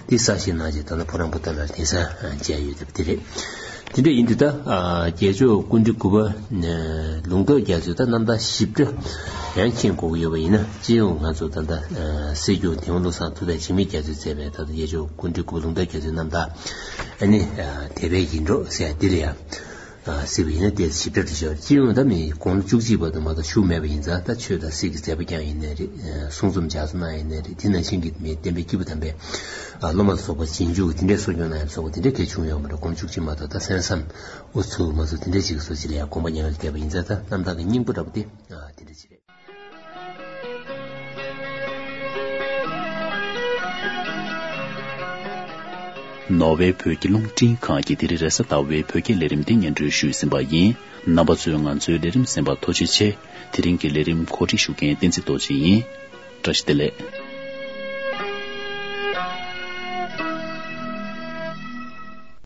དེ་གསར་བཞེངས་གནང་བྱས་ད་ལྟ་ཕོ་བྲང་པོ་ཏཱ་ལར་གདན་ས་མཇལ་ཡོད་པ་དེ་རེད། དེ་འདྲ་ཡིན་དུས་ད་ཨ་རྒྱལ་མཆོག་སྐུ་ཕྲེང་དགུ་པ་ལུང་རྟོགས་རྒྱ་མཚོའི་ད་རྣམ་ཐར་ཞིབ་ཕྲ་ཡང་མཁྱེན་དགོས་ཀྱི་ཡོད་པ་ཡིན་ན། སྤྱི་ཡོངས་ང་ཚོ་ད་ལྟ་ཨ་སྲིད་སྐྱོང་དེ་བ་བློ་བཟང་ཐུབ་བསྟན་འཇིགས་མེད་རྒྱ་མཚོས་མཛད་པའི་ད་ལྟ་རྒྱལ་མཆོག་སྐུ་ཕྲེང་དགུ་པ་ལུང་རྟོགས་རྒྱ་མཚོའི་རྣམ་ཐར་ཨ་ནི་ཨ་དད་པའི་ཡིད་འཕྲོག་ཟེར་ཡ་འདི་ལ་ཡང་། ཨ་སྲིད་པ་ཡིན་ན་ཏོག་ཙམ་ཞིབ་ཕྲ་དུ་ཤོད། སྤྱི་ཡོངས་ད་མི་དགུང་ལོ་བཅུ་གཅིག་བར་དུ་མ་གཏོགས་བཞུགས་མེད་པ་ཡིན་ཙང་། ད་ཆོས་དང་སྲིད་ཀྱི་མཛད་པ་བསྐྱངས་ཡིན་ནའི་རེད། ཨ་གསུང་རྩོམ་ལྗགས་རྩོམ་གནང་ཡིན་ནའི་རེད། དེ་ནང་བཞིན་གྱི་མི་བསྟན་པའི་སྐྱེས་བུ་དམ་པའི་ཨ་སློབ་མ་ལ་སོགས་པ་རྗེས་འཇུག་གི་དེ་འདྲའི་གསོ་སྐྱོང་གནང་ཡ་ལ་སོགས་པ་དེ་འདྲའི་གལ་བྱུང་ཡོད་མ་རེད། དགུང་ལོ་བཅུ་གཅིག་མ་གཏོགས། ད་གསན་བསམ་ཨོ་ཚུགས་མ་ཚུགས་དེ་འདྲའི་ཅིག་གི་བཟོ་ཅིག་ལ་ཡང་དགོངས་པ་མྱང་བའི་དད་པ་ཡིན་ཙང་། ད་རྣམ་དག་གི་སྙིང་པོ་འདྲ་པོ་དེ་ཨ་དེ་འདྲ་ཅིག་རེད། ནོར་ཝེ་བོད་ཀྱི་རླུང་འཕྲིན་ཁང་གིས་དེ་རིང་རེས་གཟའ་ཟླ་བའི་བོད་སྐད་ལས་རིམ་འདི་སྙན་སྒྲོན་ཞུས་ཟིན་པ་ཡིན། རྣམ་པ་ཚོས་ང་ཚོའི་ལས་རིམ་གསན་པར་ཐུགས་རྗེ་ཆེ། དེ་རིང་གི་ལས་རིམ་གོ་སྒྲིག་ཞུ་མཁན་བསྟན་འཛིན་རྡོ་རྗེ་ཡིན། བཀྲ་ཤིས་བདེ་ལེགས།